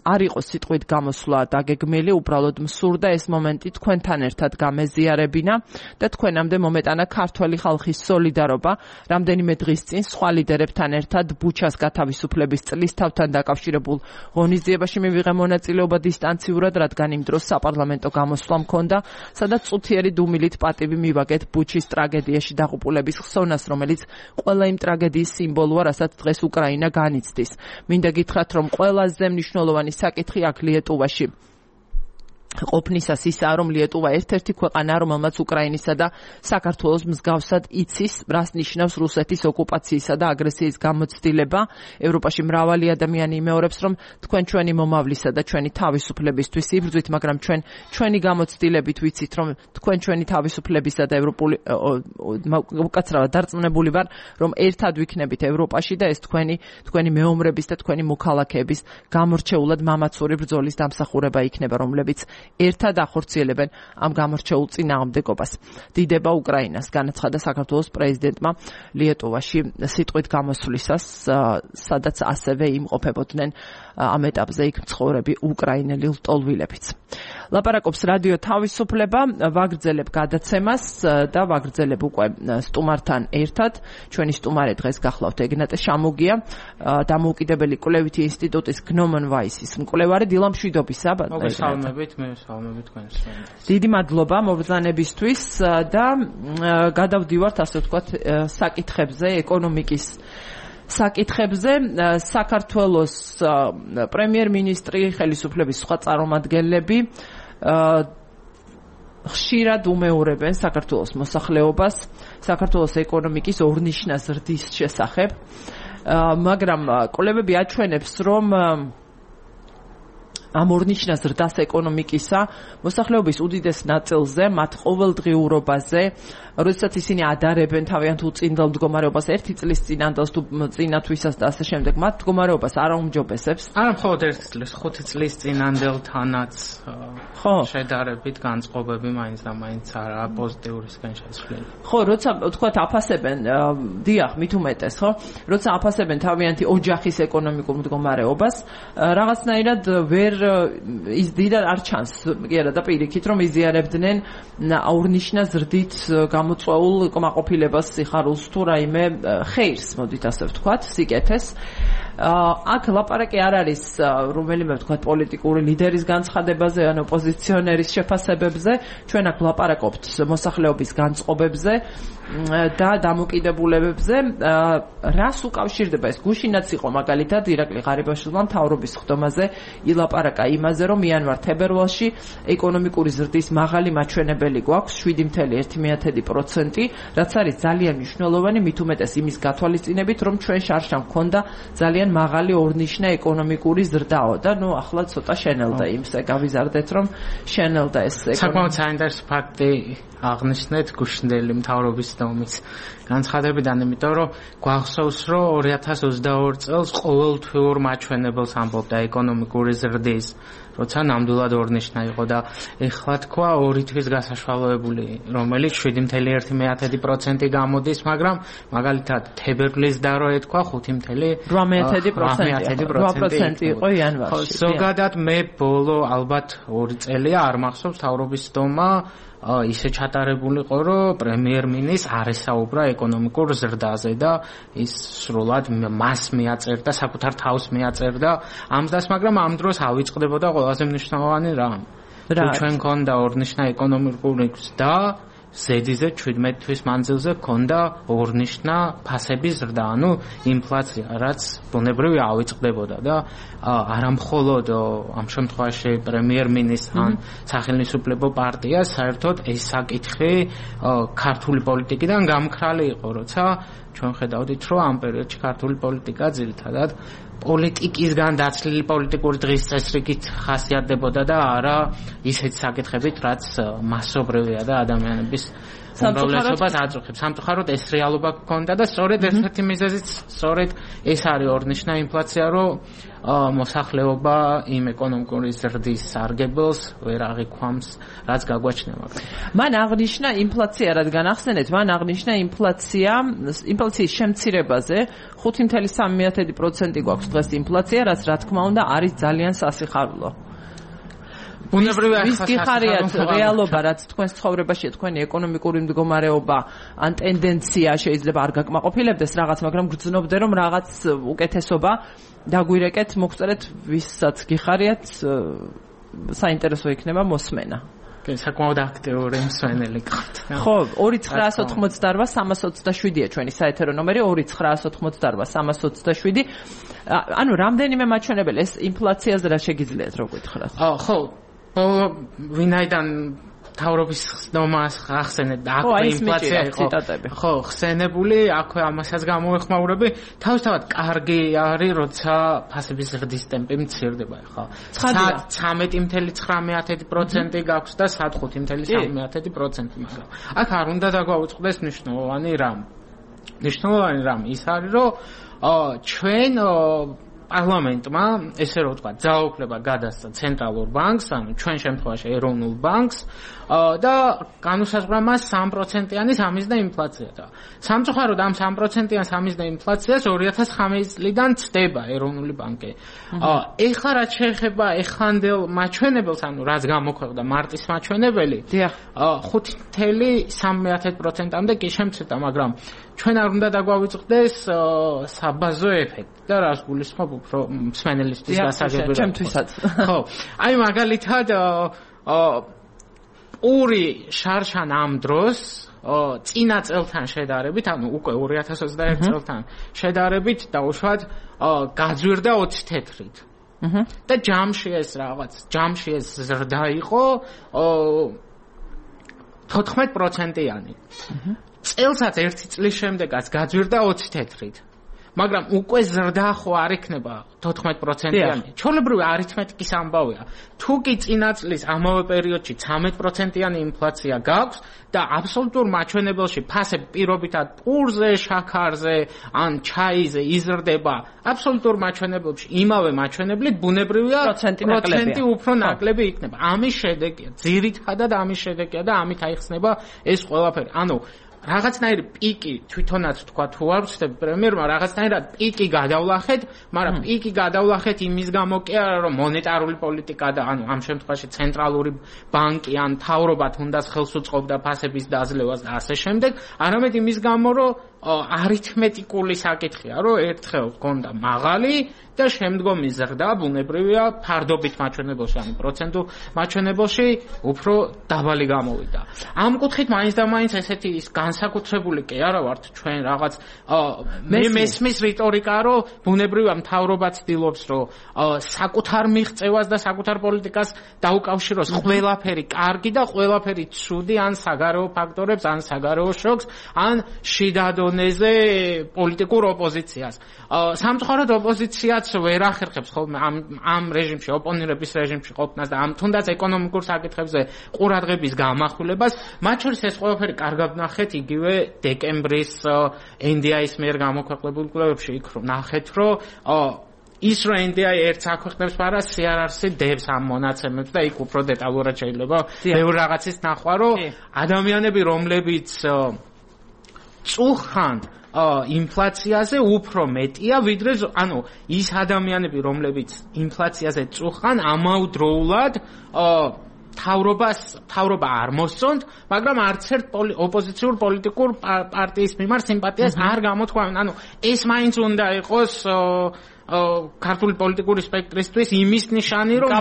[SPEAKER 1] არ იყო სიტყვით გამოსვლა დაგეგმილი, უბრალოდ მსურდა ეს მომენტი თქვენთან ერთად გამეზიარებინა და თქვენამდე მომეტანა ქართველი ხალხის სოლიდარობა. რამდენიმე დღის წინ სხვა ლიდერებთან ერთად ბუჩას გათავისუფლების წლისთავთან დაკავშირებულ ღონისძიებაში მივიღე მონაწილეობა დისტანციურად, რადგან იმ დროს საპარლამენტო გამოსვლა მქონდა, სადაც წუთიერი დუმილით პატივი მივაგეთ ბუჩის ტრაგედიაში დაღუპულების ხსოვნას, რომელიც ყველა იმ ტრაგედიის სიმბოლოა, რასაც დღეს უკრაინა განიცდის. მინდა გითხრათ, რომ ყველაზე მნიშვნელოვანი საკითხი აქ ლიეტუვაში ყოფნისას ისაა, რომ ლიეტუვა ერთ-ერთი ქვეყანაა, რომელმაც უკრაინისა და საქართველოს მსგავსად იცის, რას ნიშნავს რუსეთის ოკუპაციისა და აგრესიის გამოცდილება. ევროპაში მრავალი ადამიანი იმეორებს, რომ თქვენ ჩვენი მომავლისა და ჩვენი თავისუფლებისთვის იბრძვით, მაგრამ ჩვენი გამოცდილებით ვიცით, რომ თქვენ ჩვენი თავისუფლებისა და ევროპული უკაცრავად დარწმუნებული ვარ, რომ ერთად ვიქნებით ევროპაში და ეს თქვენი მეომრების და თქვენი მოქალაქეების გამორჩეულად მამაცური ბრძოლის დამსახურება იქნება, რომლებიც ერთად ახორციელებენ ამ გამორჩეულ წინააღმდეგობას. დიდება უკრაინას, განაცხადა საქართველოს პრეზიდენტმა ლიეტუვაში სიტყვით გამოსვლისას, სადაც ასევე იმყოფებოდნენ ამ ეტაპზე იქ მცხოვრები უკრაინელი ლტოლვილებიც. ლაპარაკობს რადიო თავისუფლება, ვაგრძელებ გადაცემას და ვაგრძელებ უკვე სტუმართან ერთად. ჩვენი სტუმარი დღეს გახლავთ ეგნატე შამუგია, დამოუკიდებელი კვლევითი ინსტიტუტის გნომონ ვაისის მკვლევარი. დილამშვიდობისა,
[SPEAKER 2] მოგესალმებით, მე ვსალმებით თქვენს.
[SPEAKER 1] დიდი მადლობა მობრძანებისთვის და გადავდივართ, ასე ვთქვათ, საკითხებზე, ეკონომიკის საკითხებზე. საქართველოს პრემიერ-მინისტრი, ხელისუფლების სხვა წარმომადგენლები ხშირად უმეორებენ საქართველოს მოსახლეობას, საქართველოს ეკონომიკის ორნიშნა ზრდის შესახებ, მაგრამ კვლევები აჩვენებს, რომ ამ ორნიშნა ზრდას ეკონომიკისა მოსახლეობის უდიდეს ნაწილზე, მათ ყოველდღიურობაზე, როდესაც ისინი ადარებენ თავიანთ უწინდელ მდგომარეობას, ერთი წლის წინანდელს თუ წინათვისას და ასე შემდეგ, მათ მდგომარეობას არ აუმჯობესებს.
[SPEAKER 2] არა მხოლოდ ერთი წლის, 5 წლის წინანდელთანაც შედარებით განწყობები მაინც და მაინც არა პოზიტიურისგან შესვლელი.
[SPEAKER 1] ხო, როცა ვთქვათ აფასებენ, დიახ, მით უმეტეს, ხო? როცა აფასებენ თავიანთი ოჯახის ეკონომიკურ მდგომარეობას, რაღაცნაირად ვერ ისდიდა არ ჩანს, კი არა და პირიქით, რომ იზიარებდნენ აურნიშნა ზრდით გამოწვეულ კმაყოფილებას, სიხარულს თუ რაიმე ხეირს, მოდით ასე ვთქვათ, სიკეთეს. აქ ლაპარაკი არ არის რომელიმე ვთქვათ პოლიტიკური ლიდერის განცხადებაზე ან ოპოზიციონერის შეფასებებზე, ჩვენ აქ ვლაპარაკობთ მოსახლეობის განწყობებზე და დამოკიდებულებებზე. რას უკავშირდება ეს? გუშინაც იყო მაგალითად ირაკლი ღარიბაშვილმა მთავრობის ხდომაზე ილაპარაკა იმაზე, რომ იანვარ-თებერვალში ეკონომიკური ზრდის მაღალი მაჩვენებელი გვაქვს 7.1%, რაც არის ძალიან მნიშვნელოვანი, მით უმეტეს იმის გათვალისწინებით, რომ ჩვენ შარშან გქონდა ძალიან მაღალი ორნიშნა ეკონომიკური ზრდაო და ნუ ახლა ცოტა შენელდა იმსე გავიზარდეთ, რომ შენელდა ეს
[SPEAKER 2] საკმაოდ საინტერესო ფაქტი აღნიშნეთ გუშინდელი მთავრობის ხდომის განცხადებიდან, იმიტომ რომ გვახსოვს, რომ 2022 წელს ყოველთვიურ მაჩვენებელს ამბობდა ეკონომიკური ზრდის, როცა ნამდვილად ორნიშნა იყო და ეხლა თქვა 2 თვის გასაშვალოებული, რომელიც 7.1% გამოდის, მაგრამ მაგალითად თებერვლის და რო ეთქვა
[SPEAKER 1] 5.8% იყო იანვარში.
[SPEAKER 2] ზოგადად მე ბოლო ალბათ 2 წელია არ მახსოვს თავრობის ხდომა ისე ჩატარებული იყო, რომ პრემიერ-მინისტრს არ ესაუბრა ეკონომიკურ ზრდაზე და ის სრულად მას მიაწერდა, საკუთარ თავს მიაწერდა ამ დას, მაგრამ ამ დროს ავიწყდებოდა ყველაზე მნიშვნელოვანი რამ. ჩვენ გქონდა ორნიშნა ეკონომიკური ზრდა, ზედიზე 17 თვის მანძილზე გქონდა ორნიშნა ფასების ზრდა, ანუ ინფლაცია, რაც ბუნებრივი ავიწყდებოდა და არამხოლოდ ამ შემთხვევაში პრემიერ-მინისტრს ან სახელმწიფო პარტიას, საერთოდ ეს საკითხი ქართული პოლიტიკიდან გამქრალი იყო, როცა ჩვენ ხედავდით, რომ ამ პერიოდში ქართული პოლიტიკა ძირითადად პოლიტიკისგან დაცლილი პოლიტიკური დღის წესრიგით ხასიათდებოდა და არა ისეთ საკითხებით, რაც მასობრივია და ადამიანების უმრავლესობას აწუხებს. სამწუხაროდ ეს რეალობა გქონდა და სწორედ ერთ-ერთი მიზეზიც სწორედ ეს არის ორნიშნა ინფლაცია, რომ მოსახლეობა იმ ეკონომიკური ზრდის სარგებელს ვერ აღიქვამს, რაც გაგვაჩნდება.
[SPEAKER 1] მან აღნიშნა ინფლაცია, რადგან ახსენეთ, მან აღნიშნა ინფლაციის შემცირებაზე 5.3% გვაქვს დღეს ინფლაცია, რაც რა თქმა უნდა არის ძალიან სასიხარულო. ვის გიხარიათ რეალობა, რაც თქვენს ცხოვრებაშია, თქვენი ეკონომიკური მდგომარეობა ან ტენდენცია შეიძლება არ გაკმაყოფილებდეს რაღაც, მაგრამ გრძნობდე რომ რაღაც უკეთესობა დაგვირეკეთ, მოგწერეთ ვისაც გიხარიათ, საინტერესო იქნება მოსმენა.
[SPEAKER 2] საკმაოდ აქტიური მსვენელი გახთ.
[SPEAKER 1] ხო, 2988-327-ია ჩვენი საეთერო ნომერი, 2988-327. ანუ რამდენიმე მაჩვენებელი ეს ინფლაციაზე რა შეგიძლიათ რო გითხრათ?
[SPEAKER 2] ხო, ვინაიდან თავრობის ცნობას ახსენეთ და აქვე ინფლაცია იყო ხო ხსენებული, აქვე ამასაც გამოეხმაურები, თავისთავად კარგი არის, როცა ფასების ზრდის ტემპი მცირდება, ხო. 13.9% გაქვს და 5.3%, მაგრამ აქ არ უნდა დაგვაუწყდეს მნიშვნელოვანი რამ ის არის, რომ ჩვენ პარლამენტმა ესე რომ ვთქვა, ძალაუფლება გადასცა ცენტრალურ ბანკს, ანუ ჩვენ შემთხვევაში ეროვნულ ბანკს და განუსაზღვრა მას 3%-იანი სამიზნე ინფლაცია და სამწუხაროდ ამ 3%-იან სამიზნე ინფლაციას 2009 წლიდან ცდება ეროვნული ბანკი. ეხლა რაც შეეხება ეხანდელ მაჩვენებელს, ანუ რაც გამოქვეყნდა მარტის მაჩვენებელი, 5.3%-ამდე კი შემცირდა, მაგრამ ჩვენ არ უნდა დაგვავიწყდეს საბაზო ეფექტი და რას გულისხმობ უფრო მსმენელისთვის გასაგებია.
[SPEAKER 1] ჩემთვისაც.
[SPEAKER 2] ხო. აი მაგალითად პური შარშან ამ დროს წინა წელთან შედარებით, ანუ უკვე 2021 წელთან შედარებით დაუშვათ გაძვირდა 20 თეთრით. და ჯამში ეს ზრდა იყო 14%-იანი. წელსაც ერთი წლის შემდეგაც გაძვირდა 20 თეთრით. მაგრამ უკვე ზრდა ხო არ იქნება 14%-იანი. ჩვეულებრივი არითმეტიკის ამბავია. თუ კი წინა წლის ამავე პერიოდში 13%-იანი ინფლაცია გაქვს და აბსოლუტურ მაჩვენებელში ფასები პირობითად პურზე, შაქარზე ან ჩაიზე იზრდება, აბსოლუტურ მაჩვენებელში იმავე მაჩვენებლით ბუნებრივია პროცენტი უფრო ნაკლები იქნება. ამის შედეგია, ძირითადად ამის შედეგია და ამით აიხსნება ეს ყველაფერი. ანუ რაღაცნაირი პიკი თვითონაც თქვა თუ არ ვცდები პრემიერმა რაღაცნაირად პიკი გადავლახეთ, მაგრამ პიკი გადავლახეთ იმის გამო კი არა რომ მონეტარული პოლიტიკა და ანუ ამ შემთხვევაში ცენტრალური ბანკი ან მთავრობა თუნდაც ხელს უწყობდა ფასების დაძლევას და ასე შემდეგ, არამედ იმის გამო რომ არითმეტიკული საკითხია, რომ ერთხელ გქონდა მაღალი და შემდგომი ზრდა ბუნებრივია ფარდობით მაჩვენებელში, ანუ პროცენტულ მაჩვენებელში უფრო დაბალი გამოვიდა. ამ კუთხით მაინც და მაინც ესეთი ის განსაკუთრებული კი არა ვართ ჩვენ რაღაც მე მესმის რიტორიკა, რომ ბუნებრივია მთავრობა ცდილობს, რომ საკუთარ მიღწევას და საკუთარ პოლიტიკას დაუკავშიროს ყველაფერი კარგი და ყველაფერი ცუდი ან საგარეო ფაქტორებს, ან საგარეო შოკს, ან შიდა დონეზე პოლიტიკურ ოპოზიციას. სამწუხაროდ ოპოზიციაც ვერ ახერხებს ხოლმე ამ რეჟიმში, ოპონირების რეჟიმში ყოფნას და ამ თუნდაც ეკონომიკურ საკითხებზე ყურადღების გამახვილებას, მათ შორის ეს ყველაფერი კარგად ნახეთ იგივე დეკემბრის NDI-ის მიერ გამოქვეყნებულ კვლევებში, იქ ნახეთ, რომ ის რომ NDI ერთს აქვეყნებს პარას CRRC დებს ამ მონაცემებს და იქ უფრო დეტალურად შეიძლება ბევრ რაღაცის ნახვა, რომ ადამიანები რომლებიც წუხან ინფლაციაზე უფრო მეტია ვიდრე ანუ ის ადამიანები რომლებიც ინფლაციაზე წუხან ამავდროულად თავრობა არ მოსწონთ, მაგრამ არც ერთ ოპოზიციურ პოლიტიკურ პარტიის მიმართ სიმპათიას არ გამოთქვამენ. ანუ ეს მაინც უნდა იყოს ქართული პოლიტიკური სპექტრისთვის იმის ნიშანი, რომ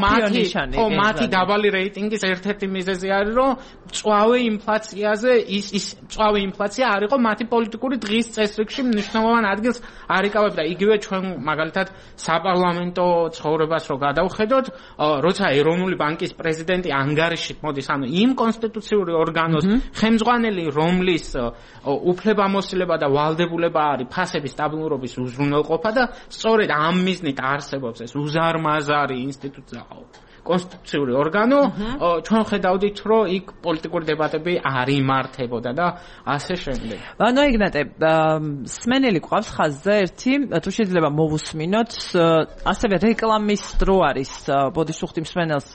[SPEAKER 2] მათი დაბალი რეიტინგის ერთ-ერთი მიზეზი არის, რომ მწვავე ინფლაციაზე ის მწვავე ინფლაცია არ იყო მათი პოლიტიკური დღის წესრიგში მნიშვნელოვან ადგილს არ იკავებდა. იგივე ჩვენ მაგალითად საპარლამენტო ცხოვრებას რო გადავხედოთ, როცა ეროვნული ბანკის პრეზიდენტი ანგარიშით მოდის, ანუ იმ კონსტიტუციური ორგანოს ხელმძღვანელი, რომლის უფლებამოსილება და ვალდებულება არის ფასების სტაბილურობის უზრუნველყოფა და სწორედ ამ მიზნით არსებობს ეს უზარმაზარი ინსტიტუცია კონსტიტუციური ორგანო, ჩვენ ხედავდით, რომ იქ პოლიტიკური დებატები არ იმართებოდა და ასე შემდეგ.
[SPEAKER 1] ანუ იგნატე, სმენელი გვყავს ხაზზე ერთი, თუ შეიძლება მოვუსმინოთ, ასევე რეკლამის დრო არის, ბოდიშუხტი მსმენელს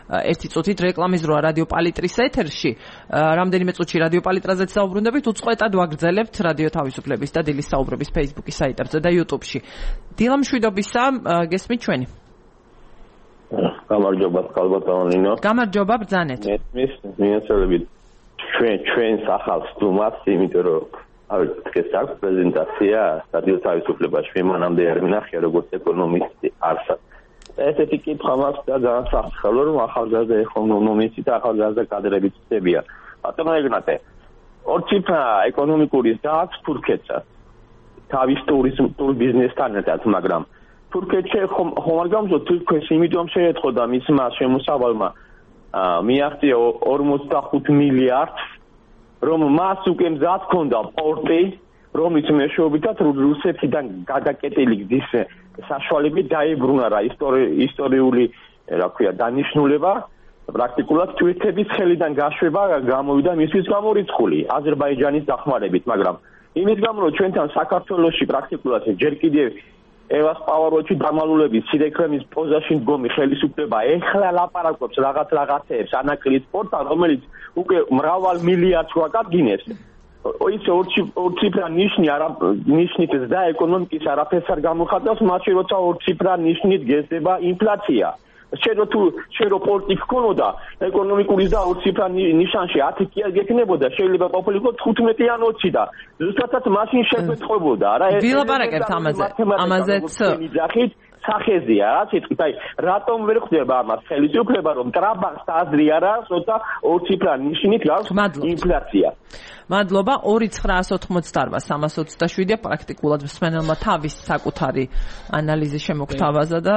[SPEAKER 1] ერთი წუთით რეკლამის დროა რადიო პალიტრის ეთერში. რამდენიმე წუთში რადიო პალიტრაზეც საუბრობთ, უწყვეტად ვაგრძელებთ რადიო თავისუფლების და დილის საუბრების Facebook-ის საიტებზე და YouTube-ში. დილა მშვიდობისა, გესმით ჩვენი?
[SPEAKER 3] გამარჯობა ხალბატონინო.
[SPEAKER 1] გამარჯობა ბრძანეთ.
[SPEAKER 3] მიეცელებით ჩვენს ახალ სტუმარს, იმიტომ რომ დღეს აქვს პრეზენტაცია რადიო თავისუფლებაში. მე მანამდე არ მინახია როგორც ეკონომისტი არსად. ესეთი კითხვა მაქვს და განსახილო რომ ახალგაზრდა ეკონომისტი და ახალგაზრდა კადრები ცდებიან. ბატონო იგნატე, ორჩიფრა ეკონომიკური და აქვს თურქეთსაც. თავის ტურიზმ ბიზნესთან ერთად, მაგრამ თურქეთში ხომ არ გამოსო თურქეთს იმიტომ შეეთხოდა მისმა შემოსავალმა მიაღწია 45 მილიარდს რომ მას უკვე მზად ჰქონდა პორტი რომლის მეშვეობითაც რუსეთიდან გადაკეტილი გზის საშუალებით დაებრუნა რა ისტორიული რა ქვია დანიშნულება პრაქტიკულად თურქეთის ხელიდან გაშვება გამოვიდა მისთვის გამორიცხული აზერბაიჯანის დახმარებით მაგრამ იმის გამო რომ ჩვენთან საქართველოში პრაქტიკულად ჯერ კიდევ ევას პავაროჩი დამალულების სირექრემის პოზაში მდგომი ხელისუფლება ეხლა ლაპარაკობს რაღაცეებს ანაკლის პორტალ რომელიც უკვე მრავალ მილიარდს ვაკადგინეს ის ორ ციფრა ნიშნი არა ნიშნით და ეკონომიკის არაფერს არ გამოხატავს მაშინ როცა ორ ციფრა ნიშნით გესდება ინფლაცია შერო პორტი ქონოდა ეკონომიკური და ორ ციფრა ნიშანში 10 კი არ გექნებოდა შეიძლება ყოფილიყო 15 ან 20 და ზუსტად მაშინ შეგვეთხოვოდა რა
[SPEAKER 1] ვილაპარაკებთ ამაზეც
[SPEAKER 3] სახეზია რა სიტყვით აი რატომ ვერ ხდება ამას ხელისუფლება რომ ტრაბახს აზრი არა როცა ორ ციფრა ნიშნით გავს ინფლაცია
[SPEAKER 1] მადლობა 2988-327 პრაქტიკულად მსმენელმა თავის საკუთარი ანალიზი შემოგთავაზა და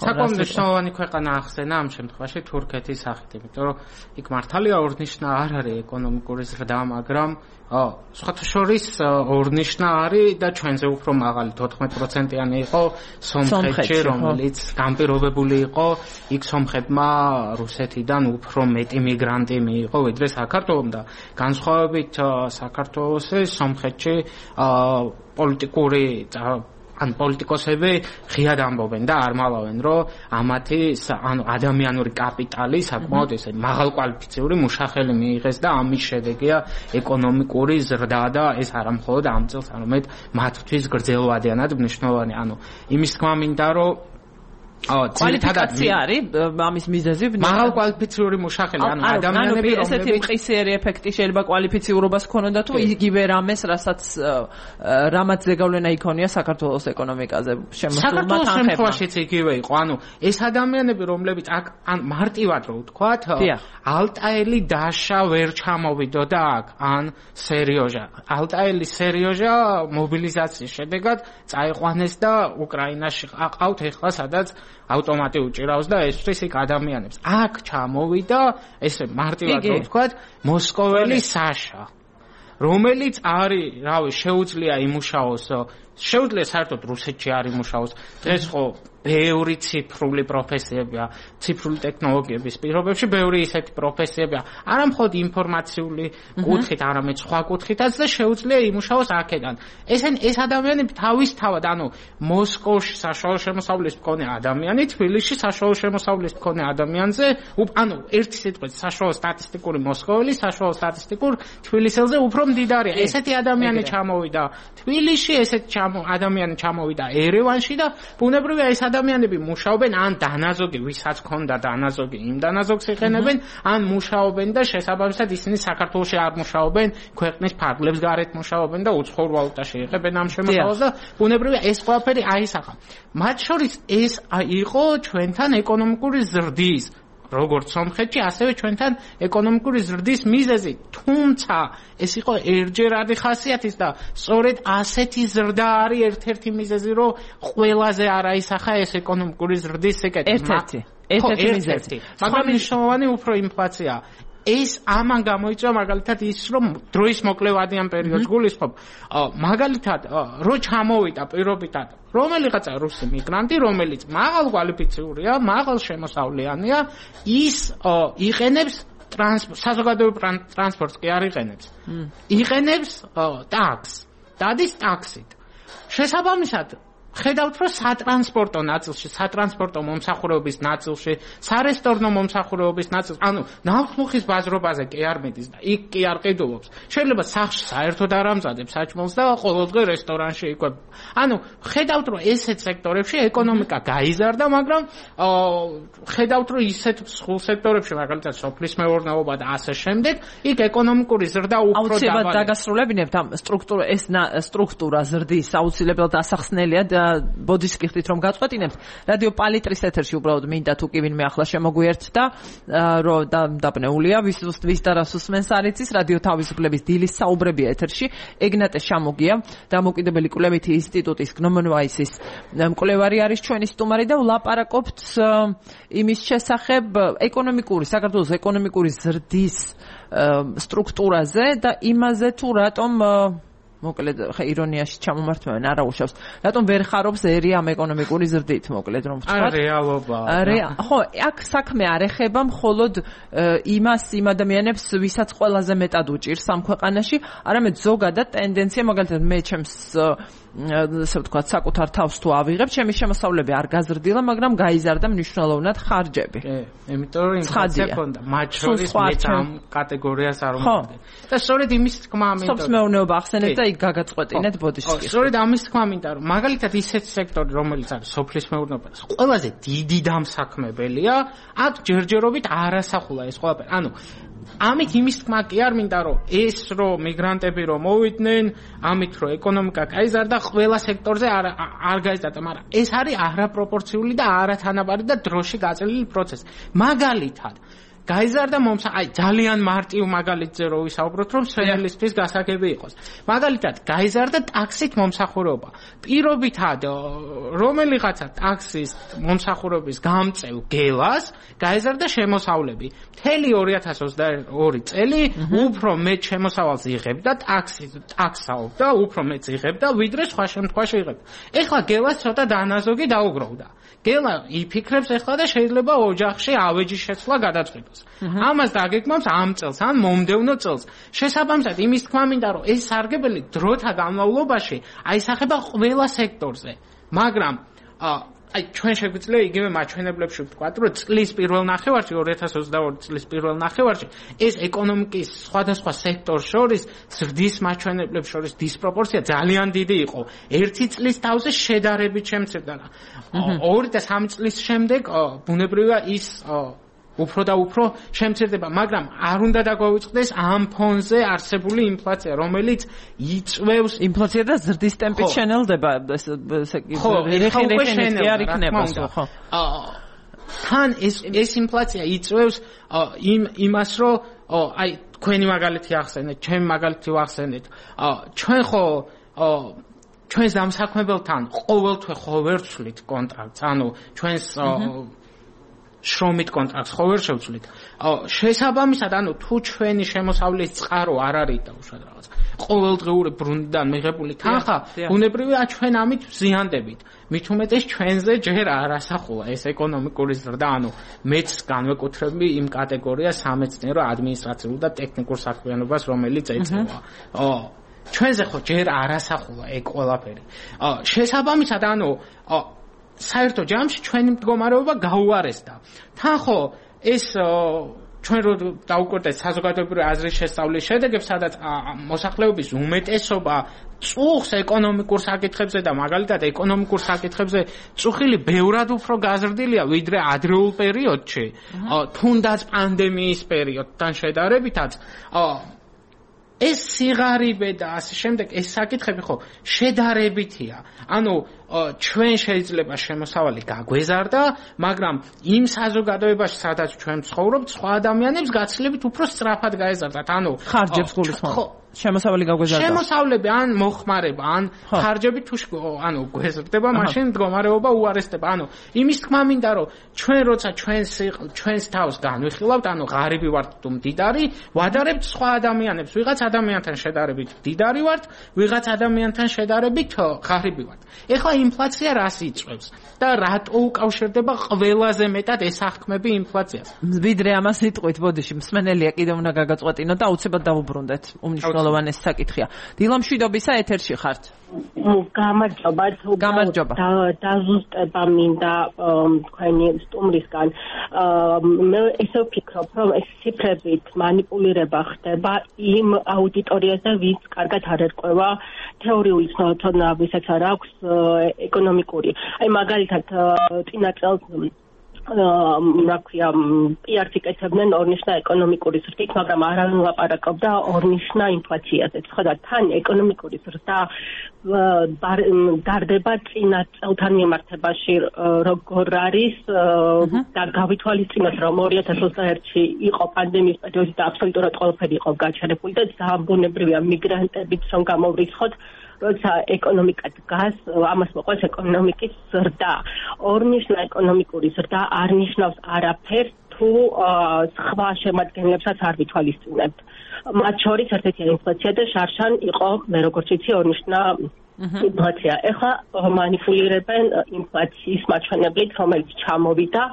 [SPEAKER 2] საკმაოდ მნიშვნელოვანი ქვეყანა ახსენა ამ შემთხვევაში თურქეთის სახით იმიტომ რომ იქ მართალია ორნიშნა არ არის ეკონომიკური ზრდა მაგრამ სხვათა შორის ორნიშნა არის და ჩვენზე უფრო მაღალი 14%-იანი იყო სომხეთში რომელიც განპირობებული იყო იქ სომხეთმა რუსეთიდან უფრო მეტი მიგრანტი მიიღო ვიდრე საქართველოს და განსხვავებით საქართველოს სომხეთში პოლიტიკური ან პოლიტიკოსები ღიად ამბობენ და არ მალავენ რომ ამათი ანუ ადამიანური კაპიტალი საკმაოდ ესე მაღალკვალიფიციური მუშახელი მიიღეს და ამის შედეგია ეკონომიკური ზრდა და ეს არა მხოლოდ ამ წელს არამედ მათთვის გრძელვადიანად მნიშვნელოვანი ანუ იმის თქმა მინდა რომ
[SPEAKER 1] კვალიფიკაცია არის ამის მიზეზი
[SPEAKER 2] მაღალკვალიფიციური მუშახელი ანუ ადამიანები
[SPEAKER 1] ესეთი მყისიერი ეფექტი შეიძლება კვალიფიციურობას ქონოდა თუ იგივე რამეს რამაც ზეგავლენა იქონია საქართველოს ეკონომიკაზე შემოსულმა
[SPEAKER 2] თანხებშიც იგივე იყო ანუ ეს ადამიანები რომლებიც აქ ან მარტივად რო ვთქვათ ალტაელი დაშა ვერ ჩამოვიდოდა აქ ან სერიოზა ალტაელი სერიოზა მობილიზაციის შედეგად წაიყვანეს და უკრაინაში ყავთ ეხლა სადაც ავტომატი უჭირავს და ესთვის იქ ადამიანებს აქ ჩამოვიდა ესე მარტივად რო ვთქვათ მოსკოველი საშა რომელიც არის რავი შეუძლია იმუშაოს შეუძლია საერთოდ რუსეთში არ იმუშაოს დღეს ხო ბევრი ციფრული პროფესიებია ციფრული ტექნოლოგიების პირობებში ბევრი ისეთი პროფესიებია არა მხოლოდ ინფორმაციული კუთხით არამედ სხვა კუთხითაც და შეუძლია იმუშაოს აქედან ეს ადამიანები თავისთავად ანუ მოსკოვში საშუალო შემოსავლის მქონე ადამიანი თბილისში საშუალო შემოსავლის მქონე ადამიანზე ანუ ერთი სიტყვით საშუალო სტატისტიკური მოსკოველი საშუალო სტატისტიკურ თბილისელზე უფრო მდიდარია ესეთი ადამიანი ჩამოვიდა თბილისში ესეთი ადამიანი ჩამოვიდა ერევანში და ბუნებრივია ეს ადამიანები მუშაობენ ან დანაზოგი ვისაც ქონდა დანაზოგი იმ დანაზოგს იყენებენ ან მუშაობენ და შესაბამისად ისინი საქართველოში არ მუშაობენ ქვეყნის ფარგლებს გარეთ მუშაობენ და უცხოურ ვალუტაში იღებენ ამ შემოსავალს და ბუნებრივია ეს ყველაფერი აისახა მათ შორის ეს იყო ჩვენთან ეკონომიკური ზრდის როგორც სომხეთში ასევე ჩვენთან ეკონომიკური ზრდის მიზეზი თუმცა ეს იყო ერთჯერადი ხასიათის და სწორედ ასეთი ზრდა არის ერთ-ერთი მიზეზი რომ ყველაზე არ აისახა ეს ეკონომიკური ზრდის სეკეტი
[SPEAKER 1] ერთ-ერთი მიზეზი
[SPEAKER 2] მაგრამ მნიშვნელოვანი უფრო ინფლაცია ეს ამან გამოიწვია მაგალითად ის რომ დროის მოკლევადიან პერიოდს გულისხმობ მაგალითად რო ჩამოვიდა პირობითად რომელიღაცა რუსი მიგრანტი რომელიც მაღალ კვალიფიციურია მაღალ შემოსავლიანია ის იყენებს საზოგადოებრივ ტრანსპორტს კი არ იყენებს ტაქსს დადის ტაქსით შესაბამისად ხედავთ რომ სატრანსპორტო ნაწილში სატრანსპორტო მომსახურების ნაწილში სარესტორნო მომსახურების ნაწილში ანუ ნავთმუხის ბაზრობაზე კი არ მიდის და იქ კი არ ყიდულობს შეიძლება სახლში საერთოდ არ ამზადებს საჭმელს და ყოველდღე რესტორანში იკვებება ანუ ხედავთ რომ ესეთ სექტორებში ეკონომიკა გაიზარდა მაგრამ ხედავთ რომ ისეთ სულ სექტორებში მაგალითად სოფლის მეურნეობა და ასე შემდეგ იქ ეკონომიკური ზრდა უფრო
[SPEAKER 1] დაბალია. აუცილებლად დაგასრულებინებთ ამ სტრუქტურა ზრდის აუცილებლად ასახსნელია ბოდიშკიხით რომ გაწყვეტინებთ რადიო პალიტრის ეთერში უბრალოდ მინდა თუ კი ვინმე ახლა შემოგვიერთდა რომ დაბნეულია ვის და რას უსმენს არ იცის რადიო თავისუფლების დილის საუბრებია ეთერში ეგნატე შამოგია დამოუკიდებელი კვლევითი ინსტიტუტის გნომონვაისის მკვლევარი არის ჩვენი სტუმარი და ვლაპარაკობთ იმის შესახებ საქართველოს ეკონომიკური ზრდის სტრუქტურაზე და იმაზე თუ რატომ მოკლედ ირონიაში ჩამომართმევენ არა უშავს რატომ ვერ ხარობს ერი ამ ეკონომიკური ზრდით მოკლედ რომ ვთქვათ
[SPEAKER 2] რეალობა
[SPEAKER 1] ხო აქ საქმე არ ეხება მხოლოდ იმ ადამიანებს ვისაც ყველაზე მეტად უჭირს ამ ქვეყანაში არამედ ზოგადად ტენდენცია მაგალითად მე ჩემს ასე ვთქვათ საკუთარ თავს თუ ავიღებ ჩემი შემოსავლები არ გაზრდილა მაგრამ გაიზარდა მნიშვნელოვნად ხარჯები
[SPEAKER 2] იმიტომ რომ ინფლაცია ქონდა მათ შორის მეც ამ კატეგორიას არ უმოდგენ და სწორედ იმის თქმა მინდა
[SPEAKER 1] სოფლის მეურნეობა ახსენეთ და იქ გაგაწყვეტინეთ ბოდიშკი
[SPEAKER 2] სწორედ ამის თქმა მინდა რომ მაგალითად ისეთ სექტორი რომელიც არის სოფლის მეურნეობა ყველაზე დიდი დამსაქმებელია აქ ჯერჯერობით არასახულა ეს ყველაფერი ანუ ამით იმის თქმა კი არ მინდა რომ ეს რომ მიგრანტები რომ მოვიდნენ ამით რომ ეკონომიკა გაიზარდა ყველა სექტორზე არ გაიზარდა მაგრამ ეს არის არაპროპორციული და არათანაბარი და დროში გაწელილი პროცესი მაგალითად გაიზარდა ძალიან მარტივ მაგალითზე რო ვისაუბროთ რომ სვენელისთვის გასაგები იყოს მაგალითად გაიზარდა ტაქსით მომსახურება პირობითად რომელიღაცა ტაქსის მომსახურების გამწევ გელას გაიზარდა შემოსავლები მთელი 2022 წელი უფრო მეტ შემოსავალს იღებდა ტაქსაობდა უფრო მეტ იღებდა ვიდრე სხვა შემთხვევაში იღებდა ეხლა გელას ცოტა დანაზოგი დაუგროვდა გელა იფიქრებს ეხლა და შეიძლება ოჯახში ავეჯის შეცვლა გადაწყვიტოს ამას დაგეგმავს ამ წელს ან მომდევნო წელს შესაბამისად იმის თქმა მინდა რომ ეს სარგებელი დროთა განმავლობაში აისახება ყველა სექტორზე მაგრამ ჩვენ შეგვიძლია იგივე მაჩვენებლებში ვთქვათ რომ წლის პირველ ნახევარში 2022 წლის პირველ ნახევარში ეს ეკონომიკის სხვადასხვა სექტორს შორის ზრდის მაჩვენებლებს შორის დისპროპორცია ძალიან დიდი იყო ერთი წლის თავზე შედარებით შემცირდა 2 და 3 წლის შემდეგ ბუნებრივია ის უფრო და უფრო შემცირდება, მაგრამ არ უნდა დაგვაუწყდეს ამ ფონზე არსებული ინფლაცია, რომელიც იწვევს
[SPEAKER 1] ინფლაცია და ზრდის ტემპით შენელდება, რეხინი არ იქნება, ხო?
[SPEAKER 2] თან ეს ინფლაცია იწვევს იმას, რომ აი თქვენი მაგალითი ახსენეთ, ჩემი მაგალითი ვახსენეთ. ჩვენ ხო ჩვენს დამსაქმებელთან ყოველთვე ხო ვერ ვცვლით კონტრაქტს, ანუ ჩვენს შრომით კონტრაქტს ხო ვერ შევცვლით. შესაბამისად, ანუ თუ ჩვენი შემოსავლის წყარო არ არის და უშუალოდ რაღაც ყოველდღიური ბრუნდიდან მიღებული თანხა, ბუნებრივია ჩვენ ამით ვზიანდებით. მით უმეტეს ჩვენზე ჯერ არასახულა ეს ეკონომიკური ზრდა, ანუ მეც განვეკუთვნები იმ კატეგორიას სამეცნიერო, ადმინისტრაციულ და ტექნიკურ საქმიანობას, რომელიც ეწევა. ჩვენზე ხო ჯერ არასახულა ეგ ყველაფერი. შესაბამისად, ანუ საერთო ჯამში ჩვენი მდგომარეობა გაუარესდა. თან ხო ეს ჩვენ რო დავუკვირდეთ საზოგადოებრივი აზრის შესწავლის შედეგებს, სადაც მოსახლეობის უმეტესობა წუხს ეკონომიკურ საკითხებზე და მაგალითად ეკონომიკურ საკითხებზე წუხილი ბევრად უფრო გაზრდილია ვიდრე ადრეულ პერიოდში, თუნდაც პანდემიის პერიოდთან შედარებითაც. ეს სიღარიბე და ასე შემდეგ ეს საკითხები ხო შედარებითია. ანუ ჩვენ შეიძლება შემოსავალი გაგვეზარდა, მაგრამ იმ საზოგადოებაში, სადაც ჩვენ ვცხოვრობთ, სხვა ადამიანებს გაცილებით უფრო სწრაფად გაეზარდათ. ანუ
[SPEAKER 1] ხარჯებს გულისხმობ. შემოსავალი გაგვეზარდა.
[SPEAKER 2] შემოსავლები ან მოხმარება, ან ხარჯები თუ ანუ გვეზრდება, მაშინ მდგომარეობა უარესდება. ანუ იმის თქმა მინდა, რომ ჩვენ როცა ჩვენს თავს განვიხილავთ, ანუ ღარიბი ვართ თუ მდიდარი, ვადარებთ სხვა ადამიანებს, ვიღაც ადამიანთან შედარებით მდიდარი ვართ, ვიღაც ადამიანთან შედარებით ღარიბი ვართ. ეხლა ინფლაცია რას იწვევს და რატო უკავშირდება ყველაზე მეტად ეს აღქმები ინფლაციას?
[SPEAKER 1] ვიდრე ამას იტყვით, ბოდიში, მსმენელია კიდევ უნდა გაგაწყვეტინოთ და აუცილებლად დავუბრუნდეთ. უმნიშვნელოვანეს საკითხია. დილა მშვიდობისა, ეთერში ხართ.
[SPEAKER 4] გამარჯობა. დაზუსტება მინდა თქვენი სტუმრისგან. მე ესე ვფიქრობ, რომ ეს ციფრებით манипуლირება ხდება იმ აუდიტორიაზე, ვინც კარგად არ ერკვევა თეორიული ცნობებსაც არ აქვს ეკონომიკური. აი მაგალითად წინა წელს რა ქვია პიარს იკეთებდნენ ორნიშნა ეკონომიკური ზრდით, მაგრამ არავინ ლაპარაკობდა ორნიშნა ინფლაციაზე. ხო და თან ეკონომიკური ზრდა დარდება წინა წელთან მიმართებაში როგორ არის და გავითვალისწინოთ რომ 2021-ში იყო პანდემიის პერიოდი და აბსოლუტურად ყველაფერი იყო გაჩერებული და ძალიან ბუნებრივია მიგრანტებიც რომ გამოვრიცხოთ როცა ეკონომიკა დგას, ამას მოყავს ეკონომიკის ზრდა. ორნიშნა ეკონომიკური ზრდა არ ნიშნავს არაფერს თუ სხვა შემადგენლებსაც არ ვითვალისწინებთ. მათ შორის ერთ-ერთი ინფლაცია და შარშან იყო, მე როგორც ვიცი, ორნიშნა ინფლაცია. ეხლა მანიპულირებენ ინფლაციის მაჩვენებლით, რომელიც ჩამოვიდა,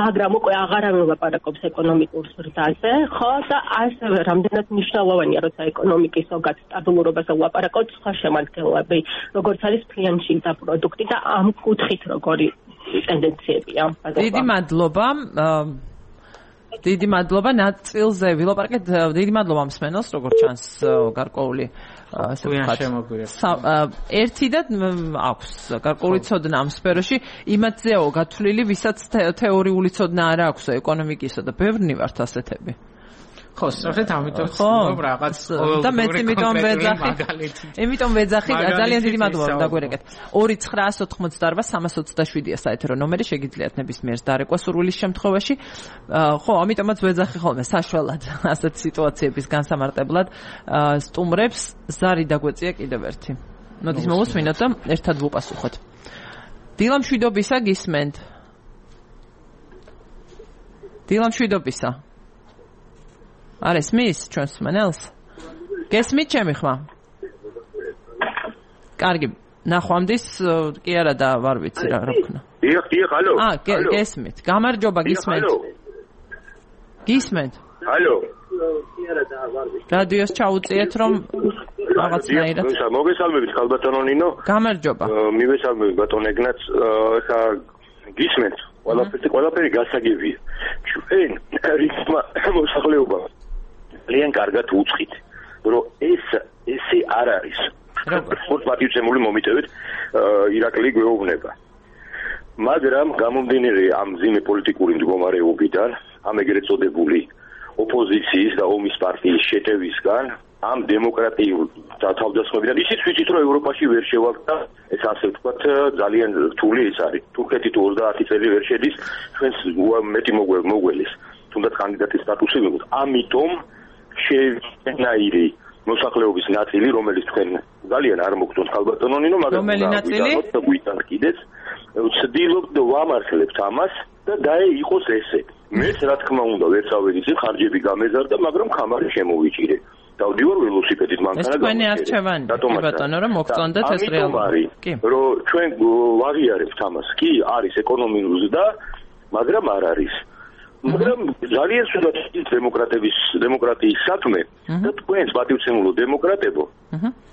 [SPEAKER 4] მაგრამ უკვე აღარავინ ლაპარაკობს ეკონომიკურ ზრდაზე, ხო და ასევე რამდენად მნიშვნელოვანია, როცა ეკონომიკის ზოგად სტაბილურობაზე ლაპარაკობთ, სხვა შემადგენლები, როგორც არის ფლიანში და პროდუქტი და ამ კუთხით როგორი ტენდენციებია.
[SPEAKER 1] დიდი მადლობა ნაწილზე ვილაპარაკეთ. დიდი მადლობა მსმენელს, როგორც ჩანს გარკვეული ასე ვთქვათ. ერთი და აქვს გარკვეული ცოდნა ამ სფეროში, იმათზეო გათვლილი, ვისაც თეორიული ცოდნა არ აქვს ეკონომიკისა და ბევრნი ვართ ასეთები.
[SPEAKER 2] ხო, სწორედ ამიტომ ვცდილობ რაღაც
[SPEAKER 1] და მეც იმიტომ ვეძახი, ძალიან დიდი მადლობა რომ დაგვერეკეთ. 2988327-ია საეთერო ნომერი, შეგიძლიათ ნებისმიერ დარეკვა სურვილის შემთხვევაში. ხო, ამიტომაც ვეძახი ხოლმე საშველად ასეთ სიტუაციების განსამარტებლად სტუმრებს. ზარი დაგვეწია კიდევ ერთი. მოდის მოვუსმინოთ და ერთად ვუპასუხოთ. დილამშვიდობისა გისმენთ. დილამშვიდობისა. არ ესმის ჩვენს მენელს? გესმით ჩემი ხმა? კარგი, ნახვამდის კი არა და ვარ ვიცი რა ვქნა.
[SPEAKER 5] დიახ, ალო.
[SPEAKER 1] გესმით. გამარჯობა, გისმენთ. გისმენთ?
[SPEAKER 5] ალო.
[SPEAKER 4] კი არა და ვარ ვიცი.
[SPEAKER 1] რადიოს ჩაუწიეთ რომ რაღაცნაირად.
[SPEAKER 5] მოგესალმებით ხალბატონო ნინო.
[SPEAKER 1] გამარჯობა.
[SPEAKER 5] მივესალმებით ბატონ ეგნაც და გისმენთ. ყველაფერი გასაგებია. ჩვენ რითმა მოსახლეობა ძალიან კარგად უწყით, რომ ესე არ არის. როგორც პატივცემული მომიტევით, ირაკლი გვეუბნება. მაგრამ გამომდინარე ამ მძიმე პოლიტიკური მდგომარეობიდან, ამ ეგრეთ წოდებული ოპოზიციის და ომის პარტიის შეტევისგან, ამ დემოკრატიულ თავდასხმებიდან ისიც ვიცით, რომ ევროპაში ვერ შევართ და ეს ასე ვთქვათ, ძალიან რთული ეს არის. თურქეთი თუ 30 წელი ვერ შედის, ჩვენს მეტი მოგველის, თუნდაც კანდიდატის სტატუსი ვიღოთ. ამიტომ შევიდნაირი მოსახლეობის ნაწილი, რომელიც თქვენ ძალიან არ მოგწონთ ხალბატონო ნინო, მაგრამ გვიტანთ კიდეც, ვცდილობთ ვამართლებთ ამას და იყოს ესე. მეც რა თქმა უნდა ვერ წავედით, ხარჯები გამეზარდა, მაგრამ ხამარი შემოვიჭირე. დავდივარ ველოსიპედით მანქანა.
[SPEAKER 1] ეს თქვენი არჩევანი, ბატონო, რომ მოგწონდეთ ეს რეალობა.
[SPEAKER 5] კი. რომ ჩვენ ვაღიარებთ ამას. კი, არის ეკონომიკური ზრდა, მაგრამ არ არის. მაგრამ ძალიან სულად დემოკრატიის საქმე და თქვენს პატივცემულო დემოკრატებო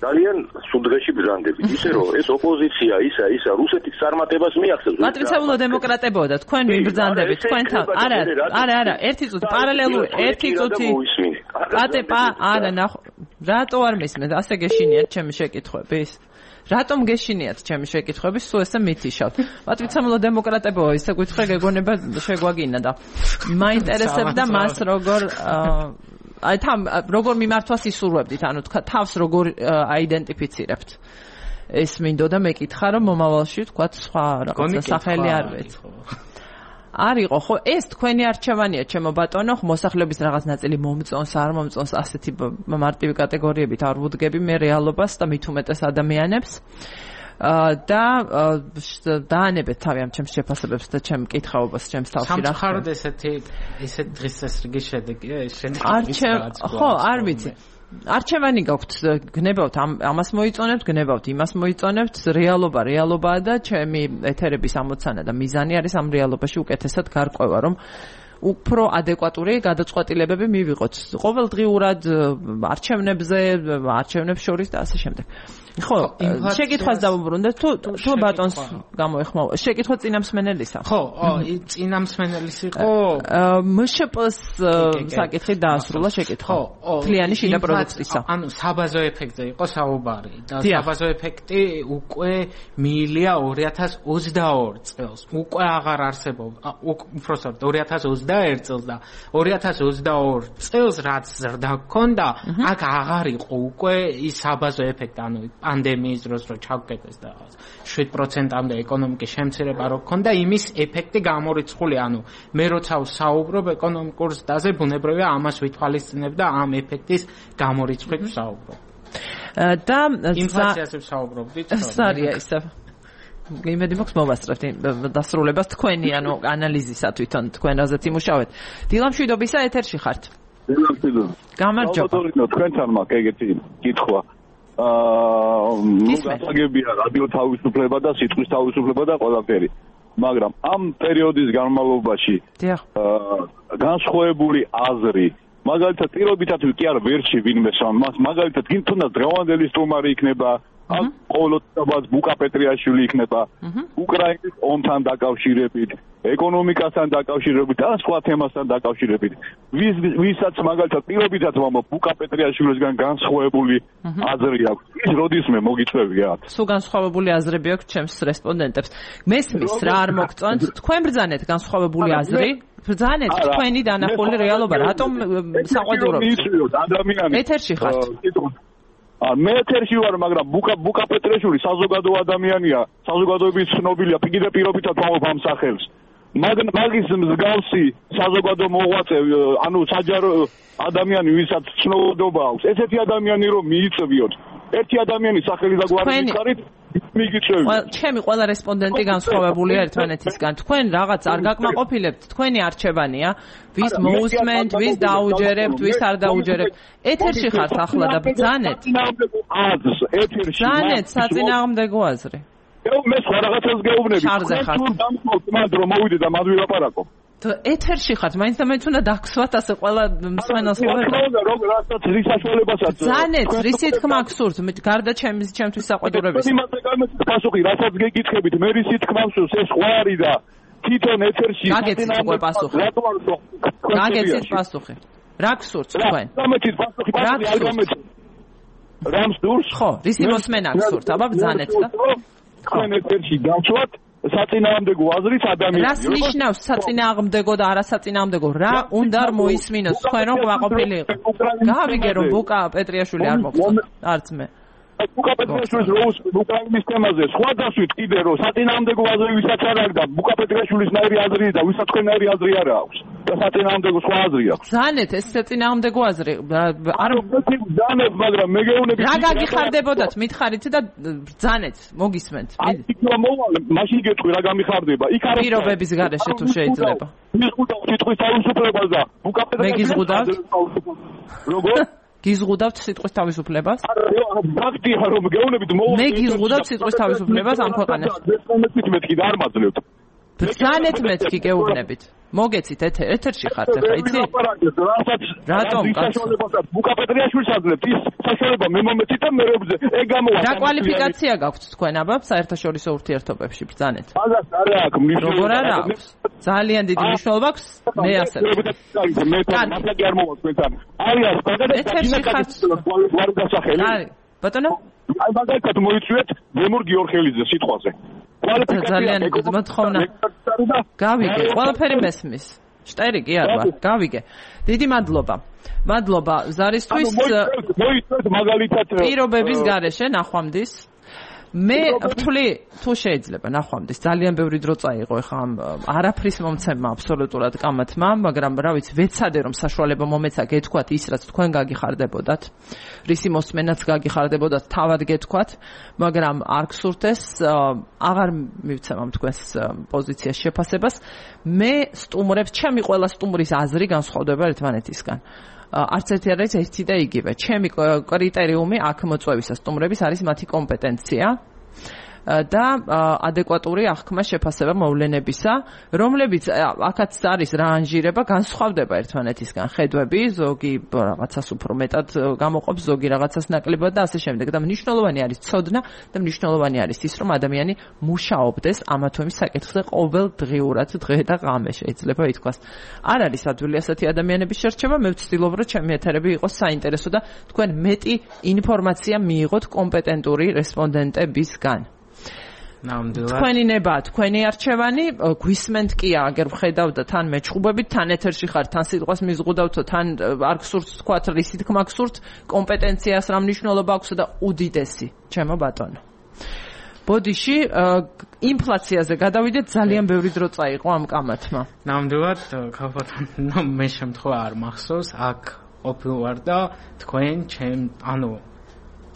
[SPEAKER 5] ძალიან სულ დღეში ბრძანდებით. ისე რომ ეს ოპოზიცია ისა რუსეთის წარმატებას მიახსენებს.
[SPEAKER 1] პატივცემულო დემოკრატებო და თქვენ ვიბრძანდებით თქვენთან. არა, ერთი წუთი პარალელური, ერთი წუთი. არა, რატო არ მისმენთ? ასე გეშინიათ ჩემი შეკითხვების? რატომ გეშინიათ ჩემი შეკითხვების, სულ ესე მითიშავთ? პატივცემულო დემოკრატებო, ისე გითხრა გეგონება შეგვაგინა და მაინტერესებდა მას როგორ მიმართვას ისურვებდით, ანუ თავს როგორ აიდენტიფიცირებთ. ეს მინდოდა მეკითხა, რომ მომავალში თქვათ სხვა რაღაცა სახელი არ ვეცი. არ იყო ხო ეს თქვენი არჩევანია ჩემო ბატონო, მოსახლეობის რაღაც ნაწილი მომწონს, არ მომწონს, ასეთი მარტივი კატეგორიებით არ ვუდგები მე რეალობას და მით უმეტეს ადამიანებს და დაანებეთ თავი ამ ჩემს შეფასებებს და ჩემ კითხაობას ჩემს თავში რა.
[SPEAKER 2] სამწუხაროდ ესეთ დღესასრიგის შედეგია ეს შედეგი.
[SPEAKER 1] ხო, არ ვიცი. არჩევანი გაქვთ, გნებავთ ამას მოიწონებთ, გნებავთ იმას მოიწონებთ, რეალობაა და ჩემი ეთერების ამოცანა და მიზანი არის ამ რეალობაში უკეთესად გარკვევა, რომ უფრო ადეკვატური გადაწყვეტილებები მივიღოთ. ყოველდღიურად არჩევნებს შორის და ასე შემდეგ. ხო, შეკითხვას დავუბრუნდეთ თუ ბატონს გამოეხმაურა. შეკითხვა წინამსმენელისა.
[SPEAKER 2] ხო, წინამსმენელის იყო
[SPEAKER 1] მშპ-ს საკითხი დაასრულა შეკითხვა. თლიანი შიდა პროდუქტისა.
[SPEAKER 2] ანუ საბაზო ეფექტზე იყო საუბარი და საბაზო ეფექტი უკვე მიილია 2022 წელს. უკვე აღარ არსებობდა, უпростоრ 2021 წელს და 2022 წელს რაც ზრდა ჰქონდა, აქ აღარ იყო უკვე ის საბაზო ეფექტი, ანუ პანდემიის დროს რო ჩავკეტეს და 7%-მდე ეკონომიკის შემცირება რო ჰქონდა, იმის ეფექტი გამორიცხული, ანუ მე როცა ვსაუბრობ ეკონომიკურ ზრდაზე, ბუნებრივია ამას ვითვალისწინებ და ამ ეფექტის გამორიცხვით ვსაუბრობ.
[SPEAKER 1] და
[SPEAKER 2] ინფლაციაზე ვსაუბრობდით.
[SPEAKER 1] სარია ისე. იმედი მაქვს მოვასწრებთ დასრულებას თქვენი, ანუ ანალიზისა თვითონ თქვენ რაზეც იმუშავეთ. დილამ შვიდობისა ეთერში ხართ. გამარჯობა.
[SPEAKER 6] თქვენთან მაქვს ეგეთი კითხვა. გასაგებია რადიო თავისუფლება და სიტყვის თავისუფლება და ყველაფერი. მაგრამ ამ პერიოდის განმავლობაში განსხვავებული აზრი, მაგალითად პირობითად კი არ ვერჩი ვინმე მას, მაგალითად თუნდაც დღევანდელი სტუმარი იქნება, ყოველთვის ბუკა პეტრიაშვილი იქნება, უკრაინის ომთან დაკავშირებით, ეკონომიკასთან დაკავშირებით და სხვა თემასთან დაკავშირებით. ვისაც მაგალითად პირობითად ბუკა პეტრიაშვილისგან განსხვავებული აზრი აქვს, ის როდისმე მოგიწევიათ.
[SPEAKER 1] სულ განსხვავებული აზრები აქვს ჩემს რესპონდენტებს. მესმის რა არ მოგწონთ, თქვენ ბრძანეთ განსხვავებული აზრი, ბრძანეთ თქვენი დანახული რეალობა, რატომ საყვედურობთ? ეთერში ხართ.
[SPEAKER 6] მე ეთერში ვარ, მაგრამ ბუკა პეტრიაშვილი საზოგადო ადამიანია, საზოგადოების ცნობილია, კიდე პირობითად ვამბობ ამ სახელს. მაგის მსგავსი საზოგადო მოღვაწე, ანუ საჯარო ადამიანი, ვისაც ცნობადობა აქვს, ესეთი ადამიანი რომ მიიწევიოთ. ერთი ადამიანის სახელი და გვარი მიხარით, მიგიწევი.
[SPEAKER 1] ჩემი ყველა რესპონდენტი განსხვავებულია ერთმანეთისგან. თქვენ რაღაც არ გაკმაყოფილებთ, თქვენი არჩევანია, ვის მოусმენთ, ვის დაუჯერებთ, ვის არ დაუჯერებთ. ეთერში ხართ ახლა და ბრძანეთ. ბრძანეთ საწინააღმდეგო აზრი.
[SPEAKER 6] მე სხვა რაღაცას გეუბნები. მანდ რომ მოვიდე და მანდ ვილაპარაკო.
[SPEAKER 1] ეთერში ხართ, მაინც და მაინც უნდა დაგსვათ ასე ყველა მსმენელს ხოვება.
[SPEAKER 6] რასაც რის საშუალებასაც.
[SPEAKER 1] ბრძანეთ, რისი თქმა გსურთ, გარდა ჩემთვის საყვედურების.
[SPEAKER 6] პასუხი, რასაც გეკითხებით, მე რისი თქმა გსურთ, ეს სხვა არის და თვითონ ეთერში
[SPEAKER 1] გაგეცით უკვე პასუხი. გაგეცით პასუხი. რა გსურთ თქვენ?
[SPEAKER 6] გამეცით პასუხი, არ გამეცით. რამს დურს?
[SPEAKER 1] ხო, რისი მოსმენა გსურთ? აბა ბრძანეთ და.
[SPEAKER 6] თქვენ ეთერში გავჩვათ საწინააღმდეგო აზრით ადამიანს.
[SPEAKER 1] რას ნიშნავს საწინააღმდეგო და არასაწინააღმდეგო? რა უნდა მოისმინოს თქვენ რომ ყვაყოფილი იყო? გავიგე რომ ბუკა პეტრიაშვილი არ მოგწონთ, არც მე.
[SPEAKER 6] ბუკა პეტრიაშვილის როლს უკრაინის თემაზე სხვა დასვით კიდე რომ საწინააღმდეგო აზრი ვისაც არ აქვს და ბუკა პეტრიაშვილის ნაირი აზრი და ვისაც თქვენაირი აზრი არ აქვს და საწინააღმდეგო სხვა აზრი აქვს.
[SPEAKER 1] ბრძანეთ ეს საწინააღმდეგო აზრი.
[SPEAKER 6] არ ბრძანეთ, მაგრამ მე გეუბნები.
[SPEAKER 1] რა გაგიხარდებოდათ, მითხარით და ბრძანეთ, მოგისმენთ.
[SPEAKER 6] მაშინ გეტყვი რა გამიხარდება. იქ არის
[SPEAKER 1] პირობების გარეშე თუ შეიძლება.
[SPEAKER 6] მიზღუდავ სიტყვის თავისუფლებას და ბუკა პეტრიაშვილის.
[SPEAKER 1] მე გიზღუდავთ?
[SPEAKER 6] როგორ?
[SPEAKER 1] გიზღუდავთ სიტყვის თავისუფლებას?
[SPEAKER 6] ფაქტია რომ გეუბნებით
[SPEAKER 1] მე გიზღუდავ სიტყვის თავისუფლებას ამ ქვეყანაში.
[SPEAKER 6] მეთქი და არ მაძლევთ.
[SPEAKER 1] ბრძანეთ მეთქი გეუბნებით. მოგეცით ეთერში ხართ ახლა იცი? რატომ
[SPEAKER 6] საშუალებასაც ბუკა პეტრიაშვილს აძლევთ ის საშუალება მე მომეცით და მე რებზე ეგ გამოვა.
[SPEAKER 1] რა კვალიფიკაცია გაქვთ თქვენ აბა საერთაშორისო ურთიერთობებში ბრძანეთ?
[SPEAKER 6] მაგას არ აქვს მნიშვნელობა.
[SPEAKER 1] როგორ არ აქვს? ძალიან დიდი მნიშვნელობა აქვს მე ასე.
[SPEAKER 6] მე თვითონ არ მოვა თქვენთან. არის
[SPEAKER 1] ეთერში ხართ.
[SPEAKER 6] გვარი დასახელი.
[SPEAKER 1] არის ბატონო?
[SPEAKER 6] აი მაგალითად მოიწვიეთ გემურ გიორხელიძე სიტყვაზე.
[SPEAKER 1] ძალიან მოთხოვნა. გავიგე, ყველაფერი მესმის. შტერი კი არ ვარ, გავიგე. დიდი მადლობა. მადლობა ზარისთვის.
[SPEAKER 6] მოიწვიეთ მაგალითად
[SPEAKER 1] პირობების გარეშე ნახვამდის. მე ვთვლი თუ შეიძლება ნახვამდის ძალიან ბევრი დრო წაიღო ეხა ამ არაფრის მომცემმა აბსოლუტურად კამათმა, მაგრამ რა ვიცი ვეცადე რომ საშუალება მომეცა გეთქვათ ის რაც თქვენ გაგიხარდებოდათ, რისი მოსმენაც გაგიხარდებოდათ, თავად გეთქვათ, მაგრამ არ გსურთ ეს, აღარ მივცემ ამ თქვენს პოზიციას შეფასებას. მე სტუმრებს, ჩემი ყველა სტუმრის აზრი განსხვავდება ერთმანეთისგან. არც ერთი არ არის ერთი და იგივე. ჩემი კრიტერიუმი აქ მოწვევისა სტუმრების არის მათი კომპეტენცია. და ადეკვატური აღქმა შეფასება მოვლენებისა, რომლებიც აქაც არის რანჟირება, განსხვავდება ერთმანეთისგან ხედვები, ზოგი რაღაცას უფრო მეტად გამოყოფს, ზოგი რაღაცას ნაკლებად და ასე შემდეგ. და მნიშვნელოვანი არის ცოდნა და მნიშვნელოვანი არის ის, რომ ადამიანი მუშაობდეს ამა თუ იმ საკითხზე ყოველდღიურად, დღე და ღამე შეიძლება ითქვას. არ არის ადვილი ასეთი ადამიანების შერჩევა, მე ვცდილობ, რომ ჩემი ეთერები იყოს საინტერესო და თქვენ მეტი ინფორმაცია მიიღოთ კომპეტენტური რესპონდენტებისგან. თქვენი ნება, თქვენი არჩევანი, გვისმენთ კი აგერ ვხედავდა თან მეჩხუბებით, თან ეთერში ხარ, თან სიტყვას მიზღუდავთო, თან არ გსურთ თქვათ რისი თქმა გსურთ, კომპეტენციას რა მნიშვნელობა აქვს და უდიდესი, ჩემო ბატონო. ბოდიში ინფლაციაზე გადავიდეთ, ძალიან ბევრი დრო წაიღო ამ კამათმა.
[SPEAKER 2] ნამდვილად, ქალბატონო, მე შემთხვევა არ მახსოვს, აქ ყოფილვარ და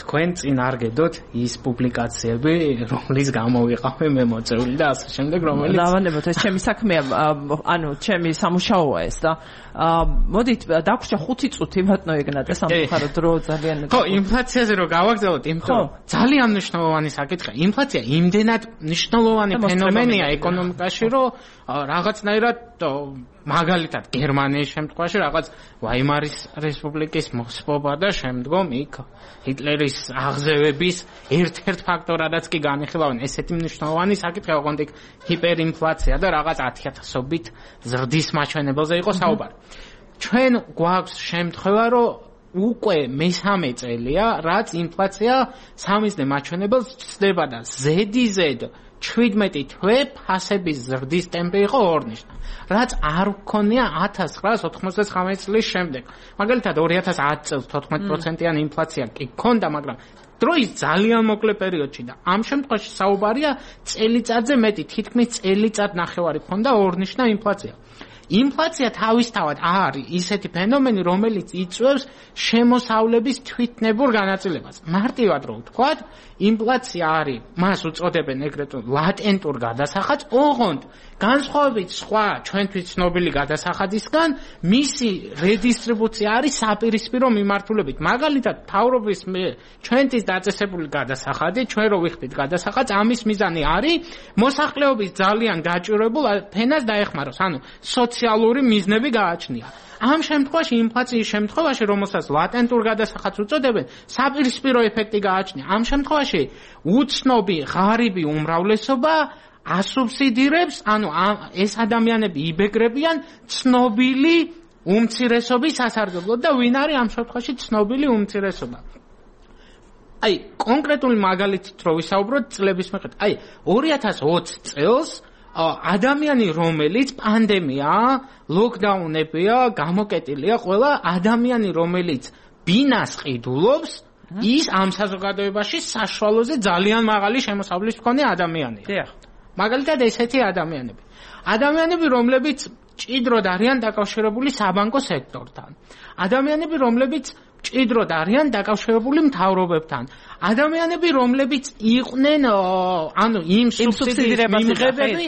[SPEAKER 2] თქვენ წინ არ გედოთ ის პუბლიკაციები, რომლის გამო ვიყავი მე მოწეული და ასე შემდეგ, რომელიც
[SPEAKER 1] დავანებოთ, ეს ჩემი საქმეა, ჩემი სამუშაოა ეს და მოდით დაგვრჩა 5 წუთი ბატონო ეგნატე სამხარო დრო ძალიან
[SPEAKER 2] ხო, ინფლაციაზე რო გავაგზავნოთ, იმიტომ ძალიან მნიშვნელოვანი საკითხია. ინფლაცია იმდენად მნიშვნელოვანი ფენომენია ეკონომიკაში, რომ რაღაცნაირად მაგალითად გერმანიის შემთხვევაში რაღაც ვაიმარის რესპუბლიკის მოსპობა და შემდგომ იქ ჰიტლერის აღზევების ერთ-ერთ ფაქტორადაც კი განიხილავენ. ესეთი მნიშვნელოვანი საკითხია, ოღონდ იქ ჰიპერინფლაცია და რაღაც 10,000-ობით ზრდის მაჩვენებელზე იყო საუბარი. ჩვენ გვაქვს შემთხვევა, რომ უკვე მესამე წელია, რაც ინფლაცია სამიზნე მაჩვენებელს ცდება და ზედიზედ 17 თვე ფასების ზრდის ტემპი იყო ორნიშნა, რაც არ გქონია 1999 წლის შემდეგ. მაგალითად 2010 წელს 14%-იანი ინფლაცია კი გქონდა, მაგრამ დროის ძალიან მოკლე პერიოდში და ამ შემთხვევაში საუბარია წელიწადზე მეტი, თითქმის წელიწად ნახევარი გქონდა ორნიშნა ინფლაცია. ინფლაცია თავისთავად არის ისეთი ფენომენი, რომელიც იწვევს შემოსავლების თვითნებურ განაწილებას. მარტივად რო ვთქვათ, ინფლაცია არის, მას უწოდებენ ეგრეთ ლატენტურ გადასახადს, ოღონდ განსხვავებით სხვა ჩვენთვის ცნობილი გადასახადისგან, მისი რედისტრიბუცია არის საპირისპირო მიმართულებით. მაგალითად, მთავრობის ჩვენთვის დაწესებული გადასახადი, ჩვენ რო ვიხდით გადასახადს, ამის მიზანი არის მოსახლეობის ძალიან გაჭირვებულ ფენას დაეხმაროს, ანუ სოციალური მიზნები გააჩნია. ამ შემთხვევაში ინფლაციის შემთხვევაში, რომელსაც ლატენტურ გადასახადს უწოდებენ, საპირისპირო ეფექტი გააჩნია. ამ შემთხვევაში უცნობი ღარიბი უმრავლესობა ასუბსიდირებს, ანუ ეს ადამიანები იბეგრებიან ცნობილი უმცირესობის სასარგებლოდ და ვინ არის ამ შემთხვევაში ცნობილი უმცირესობა. აი, კონკრეტული მაგალითით რო ვისაუბროთ წლების მიხედვით. აი, 2020 წელს ადამიანი, რომელიც პანდემია, ლოკდაუნებია, გამოკეტილია, ყველა ადამიანი, რომელიც ბინას ყიდულობს, ის ამ საზოგადოებაში საშუალოზე ძალიან მაღალი შემოსავლის მქონე ადამიანია. მაგალითად ესეთი ადამიანები, რომლებიც ჭიდროდ არიან დაკავშირებული საბანკო სექტორთან. ადამიანები, რომლებიც ჭიდროდ არიან დაკავშირებული მთავრობებთან. ადამიანები, რომლებიც იყვნენ ანუ იმ სუბსიდირების მიმღებები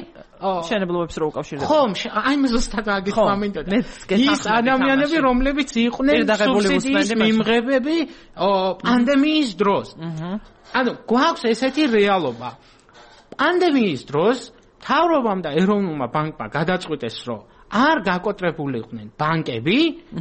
[SPEAKER 1] შენებლობებს რო უკავშირდება.
[SPEAKER 2] ხო, აი მე ზუსტად აგიხმა მინდოდა. ის ადამიანები, რომლებიც იყვნენ სუბსიდიის მიმღებები პანდემიის დროს. ანუ გვაქვს ესეთი რეალობა. პანდემიის დროს მთავრობამ და ეროვნულმა ბანკმა გადაწყვიტეს, რომ არ გაკოტრებულიყვნენ ბანკები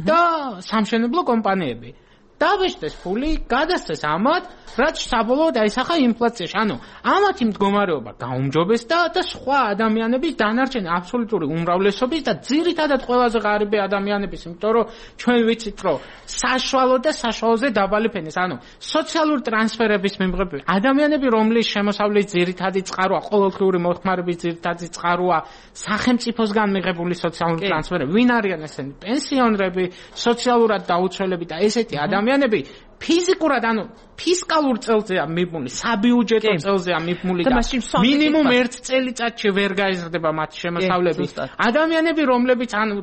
[SPEAKER 2] და სამშენებლო კომპანიები. დავეშტეს ფული, გადასცეს ამათ, რაც საბოლოოდ აისახა ინფლაციაში. ანუ ამათი მდგომარეობა გაუმჯობესდა და სხვა ადამიანების დანარჩენი აბსოლუტური უმრავლესობის და ძირითადად ყველაზე ღარიბი ადამიანების, იმიტომ რომ ჩვენ ვიცით, რომ საშუალო და საშუალოზე დაბალი ფენის, ანუ სოციალური ტრანსფერების მიმღები ადამიანები, რომლის შემოსავლის ძირითადი წყაროა, ყოველდღიური მოხმარების ძირითადი წყაროა სახელმწიფოსგან მიღებული სოციალური ტრანსფერები. ვინ არიან ესენი? პენსიონერები, სოციალურად დაუცველები და ესეთი ადამიანები ფიზიკურად, ანუ ფისკალურ წელზეა მიბმული, საბიუჯეტო წელზეა მიბმული და მინიმუმ 1 წელიწადში ვერ გაიზრდება მათი შემოსავლები. ადამიანები, რომლებიც ანუ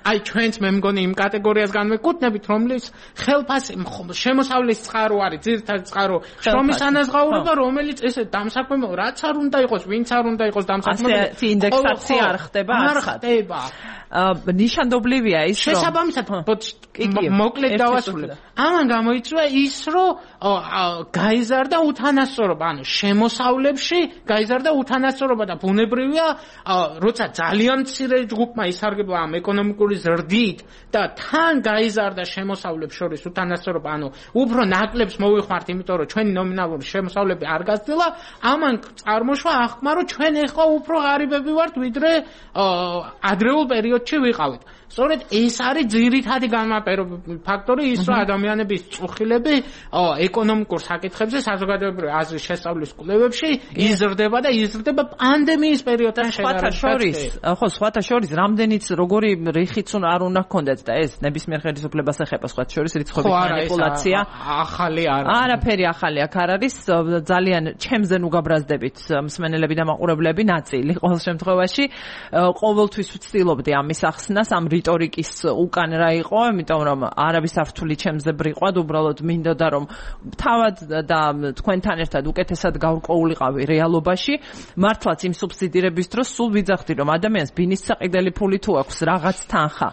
[SPEAKER 2] აი ჩვენც მე მგონი იმ კატეგორიას განვეკუთვნებით, რომლის ხელფასი შემოსავლის წყარო არის, ძირითადი წყარო, შრომის ანაზღაურება, რომელიც ესე დამსაქმებელ, რაც არ უნდა იყოს, ვინც არ უნდა იყოს დამსაქმებელი.
[SPEAKER 1] ასეთი ინდექსაცია არ ხდება,
[SPEAKER 2] არ ხდება.
[SPEAKER 1] ნიშანდობლივია ის, რომ
[SPEAKER 2] შესაბამისად მოკლედ დავასრულებ. ამან გამოიწვია დაიწვა ის, რომ გაიზარდა უთანასწორობა, ანუ შემოსავლებში გაიზარდა უთანასწორობა და ბუნებრივია, როცა ძალიან მცირე ჯგუფმა ისარგებლა ამ ეკონომიკური ზრდით და თან გაიზარდა შემოსავლებს შორის უთანასწორობა, ანუ უფრო ნაკლებს მოვიხმართ, იმიტომ რომ ჩვენი ნომინალური შემოსავლები არ გაზრდილა, ამან წარმოშვა აღქმა, რომ ჩვენ ეხლა უფრო ღარიბები ვართ, ვიდრე ადრეულ პერიოდში ვიყავით. სწორედ ეს არის ძირითადი განმარტებითი ფაქტორი, ის რომ ადამიანების წუხილები ეკონომიკურ საკითხებზე საზოგადოებრივი აზრის შესწავლის კვლევებში იზრდება და იზრდება პანდემიის პერიოდთან შედარებით.
[SPEAKER 1] სხვათა შორის რამდენიც როგორი რიხიც არ უნდა ჰქონდეთ და ეს ნებისმიერ ხელისუფლებას ეხება სხვათა შორის რიცხვების მანიპულაცია.
[SPEAKER 2] ახალი
[SPEAKER 1] არაფერი ახალი აქ არ არის, ძალიან ჩემზე ნუ გაბრაზდებით მსმენელები და მაყურებლები ნაწილი ყოველ შემთხვევაში ყოველთვის ვცდილობდი ამის ახსნას, ამ რიტორიკის უკან რა იყო, იმიტომ რომ არავის არ ვთვლი ჩემზე ბრიყვად, უბრალოდ მინდოდა რომ თავად და თქვენთან ერთად უკეთესად გავყოულიყავი რეალობაში. მართლაც იმ სუბსიდირების დროს სულ ვიძახდი რომ ადამიანს ბინის საყიდელი ფული თუ აქვს რაღაც თანხა,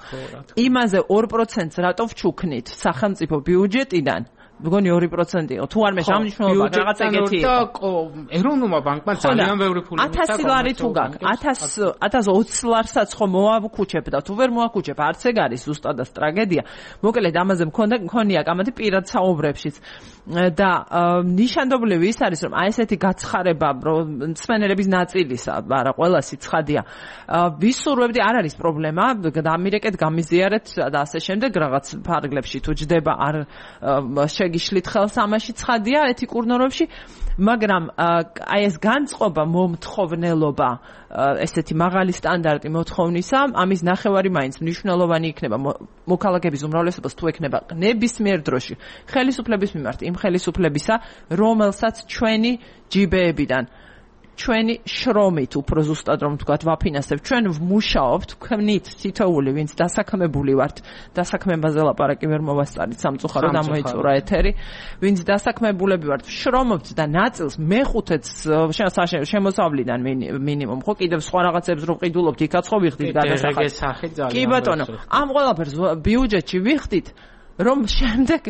[SPEAKER 1] იმაზე 2%-ს რატო ვჩუქნით სახელმწიფო ბიუჯეტიდან? მგონი 2% იყო. თუ არ მე სამნიშნულობა რაღაც ეგეთი იყო.
[SPEAKER 2] ეროვნულმა ბანკმა ძალიან ბევრი ფული
[SPEAKER 1] 1000 ლარი თუ გაქვს, 1020 ლარსაც ხო მოავქუჩებ და თუ ვერ მოავქუჩებ, არც ეგ არის ზუსტადაც ტრაგედია. მოკლედ ამაზე მქონია კამათი პირად საუბრებშიც. და ნიშანდობლივი ის არის რომ აი ესეთი გაცხარება მსმენელების ნაწილისა, არა ყველასი ცხადია. ვისურვებდი, არ არის პრობლემა, დამირეკეთ, გამიზიარეთ და ასე შემდეგ რაღაც ფარგლებში თუ ჯდება არ შეგიშლით ხელს ამაში ცხადია ეთიკურ ნორმებში, მაგრამ აი ეს განწყობა მომთხოვნელობა, ესეთი მაღალი სტანდარტი მოთხოვნისა, ამის ნახევარი მაინც მნიშვნელოვანი იქნება მოქალაქეების უმრავლესობას თუ ექნება ნებისმიერ დროში ხელისუფლების მიმართ იმ ხელისუფლებისა, რომელსაც ჩვენი ჯიბეებიდან ჩვენი შრომით უფრო ზუსტად რომ ვთქვათ ვაფინანსებთ, ჩვენ ვმუშაობთ, ვქმნით თითოეული, ვინც დასაქმებული ვართ, დასაქმებაზე ლაპარაკი ვერ მოვასწარით სამწუხაროდ ამოიწურა ეთერი, ვინც დასაქმებულები ვართ, შრომობთ და ნაწილს მეხუთედს შემოსავლიდან მინიმუმ, ხო კიდევ სხვა რაღაცებს რო ვყიდულობთ, იქაც ხო ვიხდით გადასახადს. კი ბატონო, ამ ყველაფერს ბიუჯეტში ვიხდით, რომ შემდეგ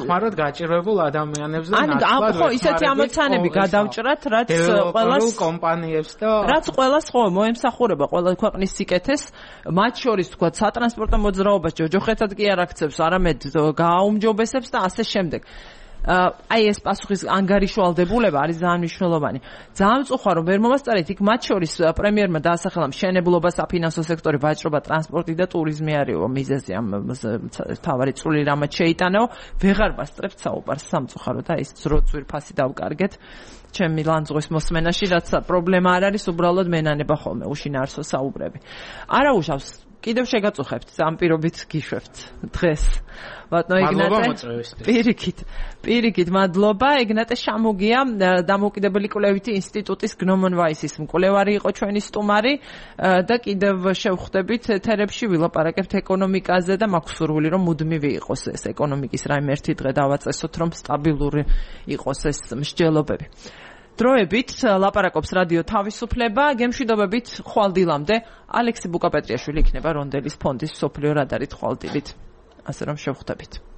[SPEAKER 2] ხმაროთ გაჭირვებულ ადამიანებს და
[SPEAKER 1] ნაცვლად ხო ისეთი ამოცანები გადავჭრათ, რაც ყველას
[SPEAKER 2] კომპანიებს და
[SPEAKER 1] რაც ყველას ხო მოემსახურება ყველა ქვეყნის სიკეთეს, მათ შორის თქვა სატრანსპორტო მოძრაობას ჯოჯოხეთად კი არ აქცევს, არამედ გააუმჯობესებს და ასე შემდეგ. აი ეს პასუხის ანგარიშვალდებულება არის ძალიან მნიშვნელოვანი. ძალიან მწუხარ რომ ვერ მომასწარეთ, იქ მათ შორის პრემიერმა დაასახელა მშენებლობა, საფინანსო სექტორი, ვაჭრობა, ტრანსპორტი და ტურიზმი არისო მიზეზი ამ თავარი წული რამაც შეიტანეო, ვეღარ ვასწრებთ საუბარს სამწუხაროდ და ის ძროწვირფასი დავკარგეთ ჩემი ლანძღვის მოსმენაში, რაც პრობლემა არ არის, უბრალოდ მენანება ხოლმე უშინაარსო საუბრები. არა უშავს კიდევ შეგაწუხებთ, ამ პირობით გიშვებთ დღეს. ბატონო ეგნატე, პირიქით მადლობა. ეგნატე შამუგია, დამოუკიდებელი კვლევითი ინსტიტუტის გნომონვაისის მკვლევარი იყო ჩვენი სტუმარი და კიდევ შევხვდებით ეთერებში ვილაპარაკებთ ეკონომიკაზე და მაქვს სურვილი რომ მუდმივი იყოს ეს ეკონომიკის რაიმე ერთი დღე დავაწესოთ, რომ სტაბილური იყოს ეს მსჯელობები. დროებით ლაპარაკობს რადიო თავისუფლება, გემშვიდობებით ხვალდილამდე ალექსი ბუკაპეტრიაშვილი იქნება რონდელის ფონდის მსოფლიო რადარით ხვალდილით. ასე რომ შევხვდებით.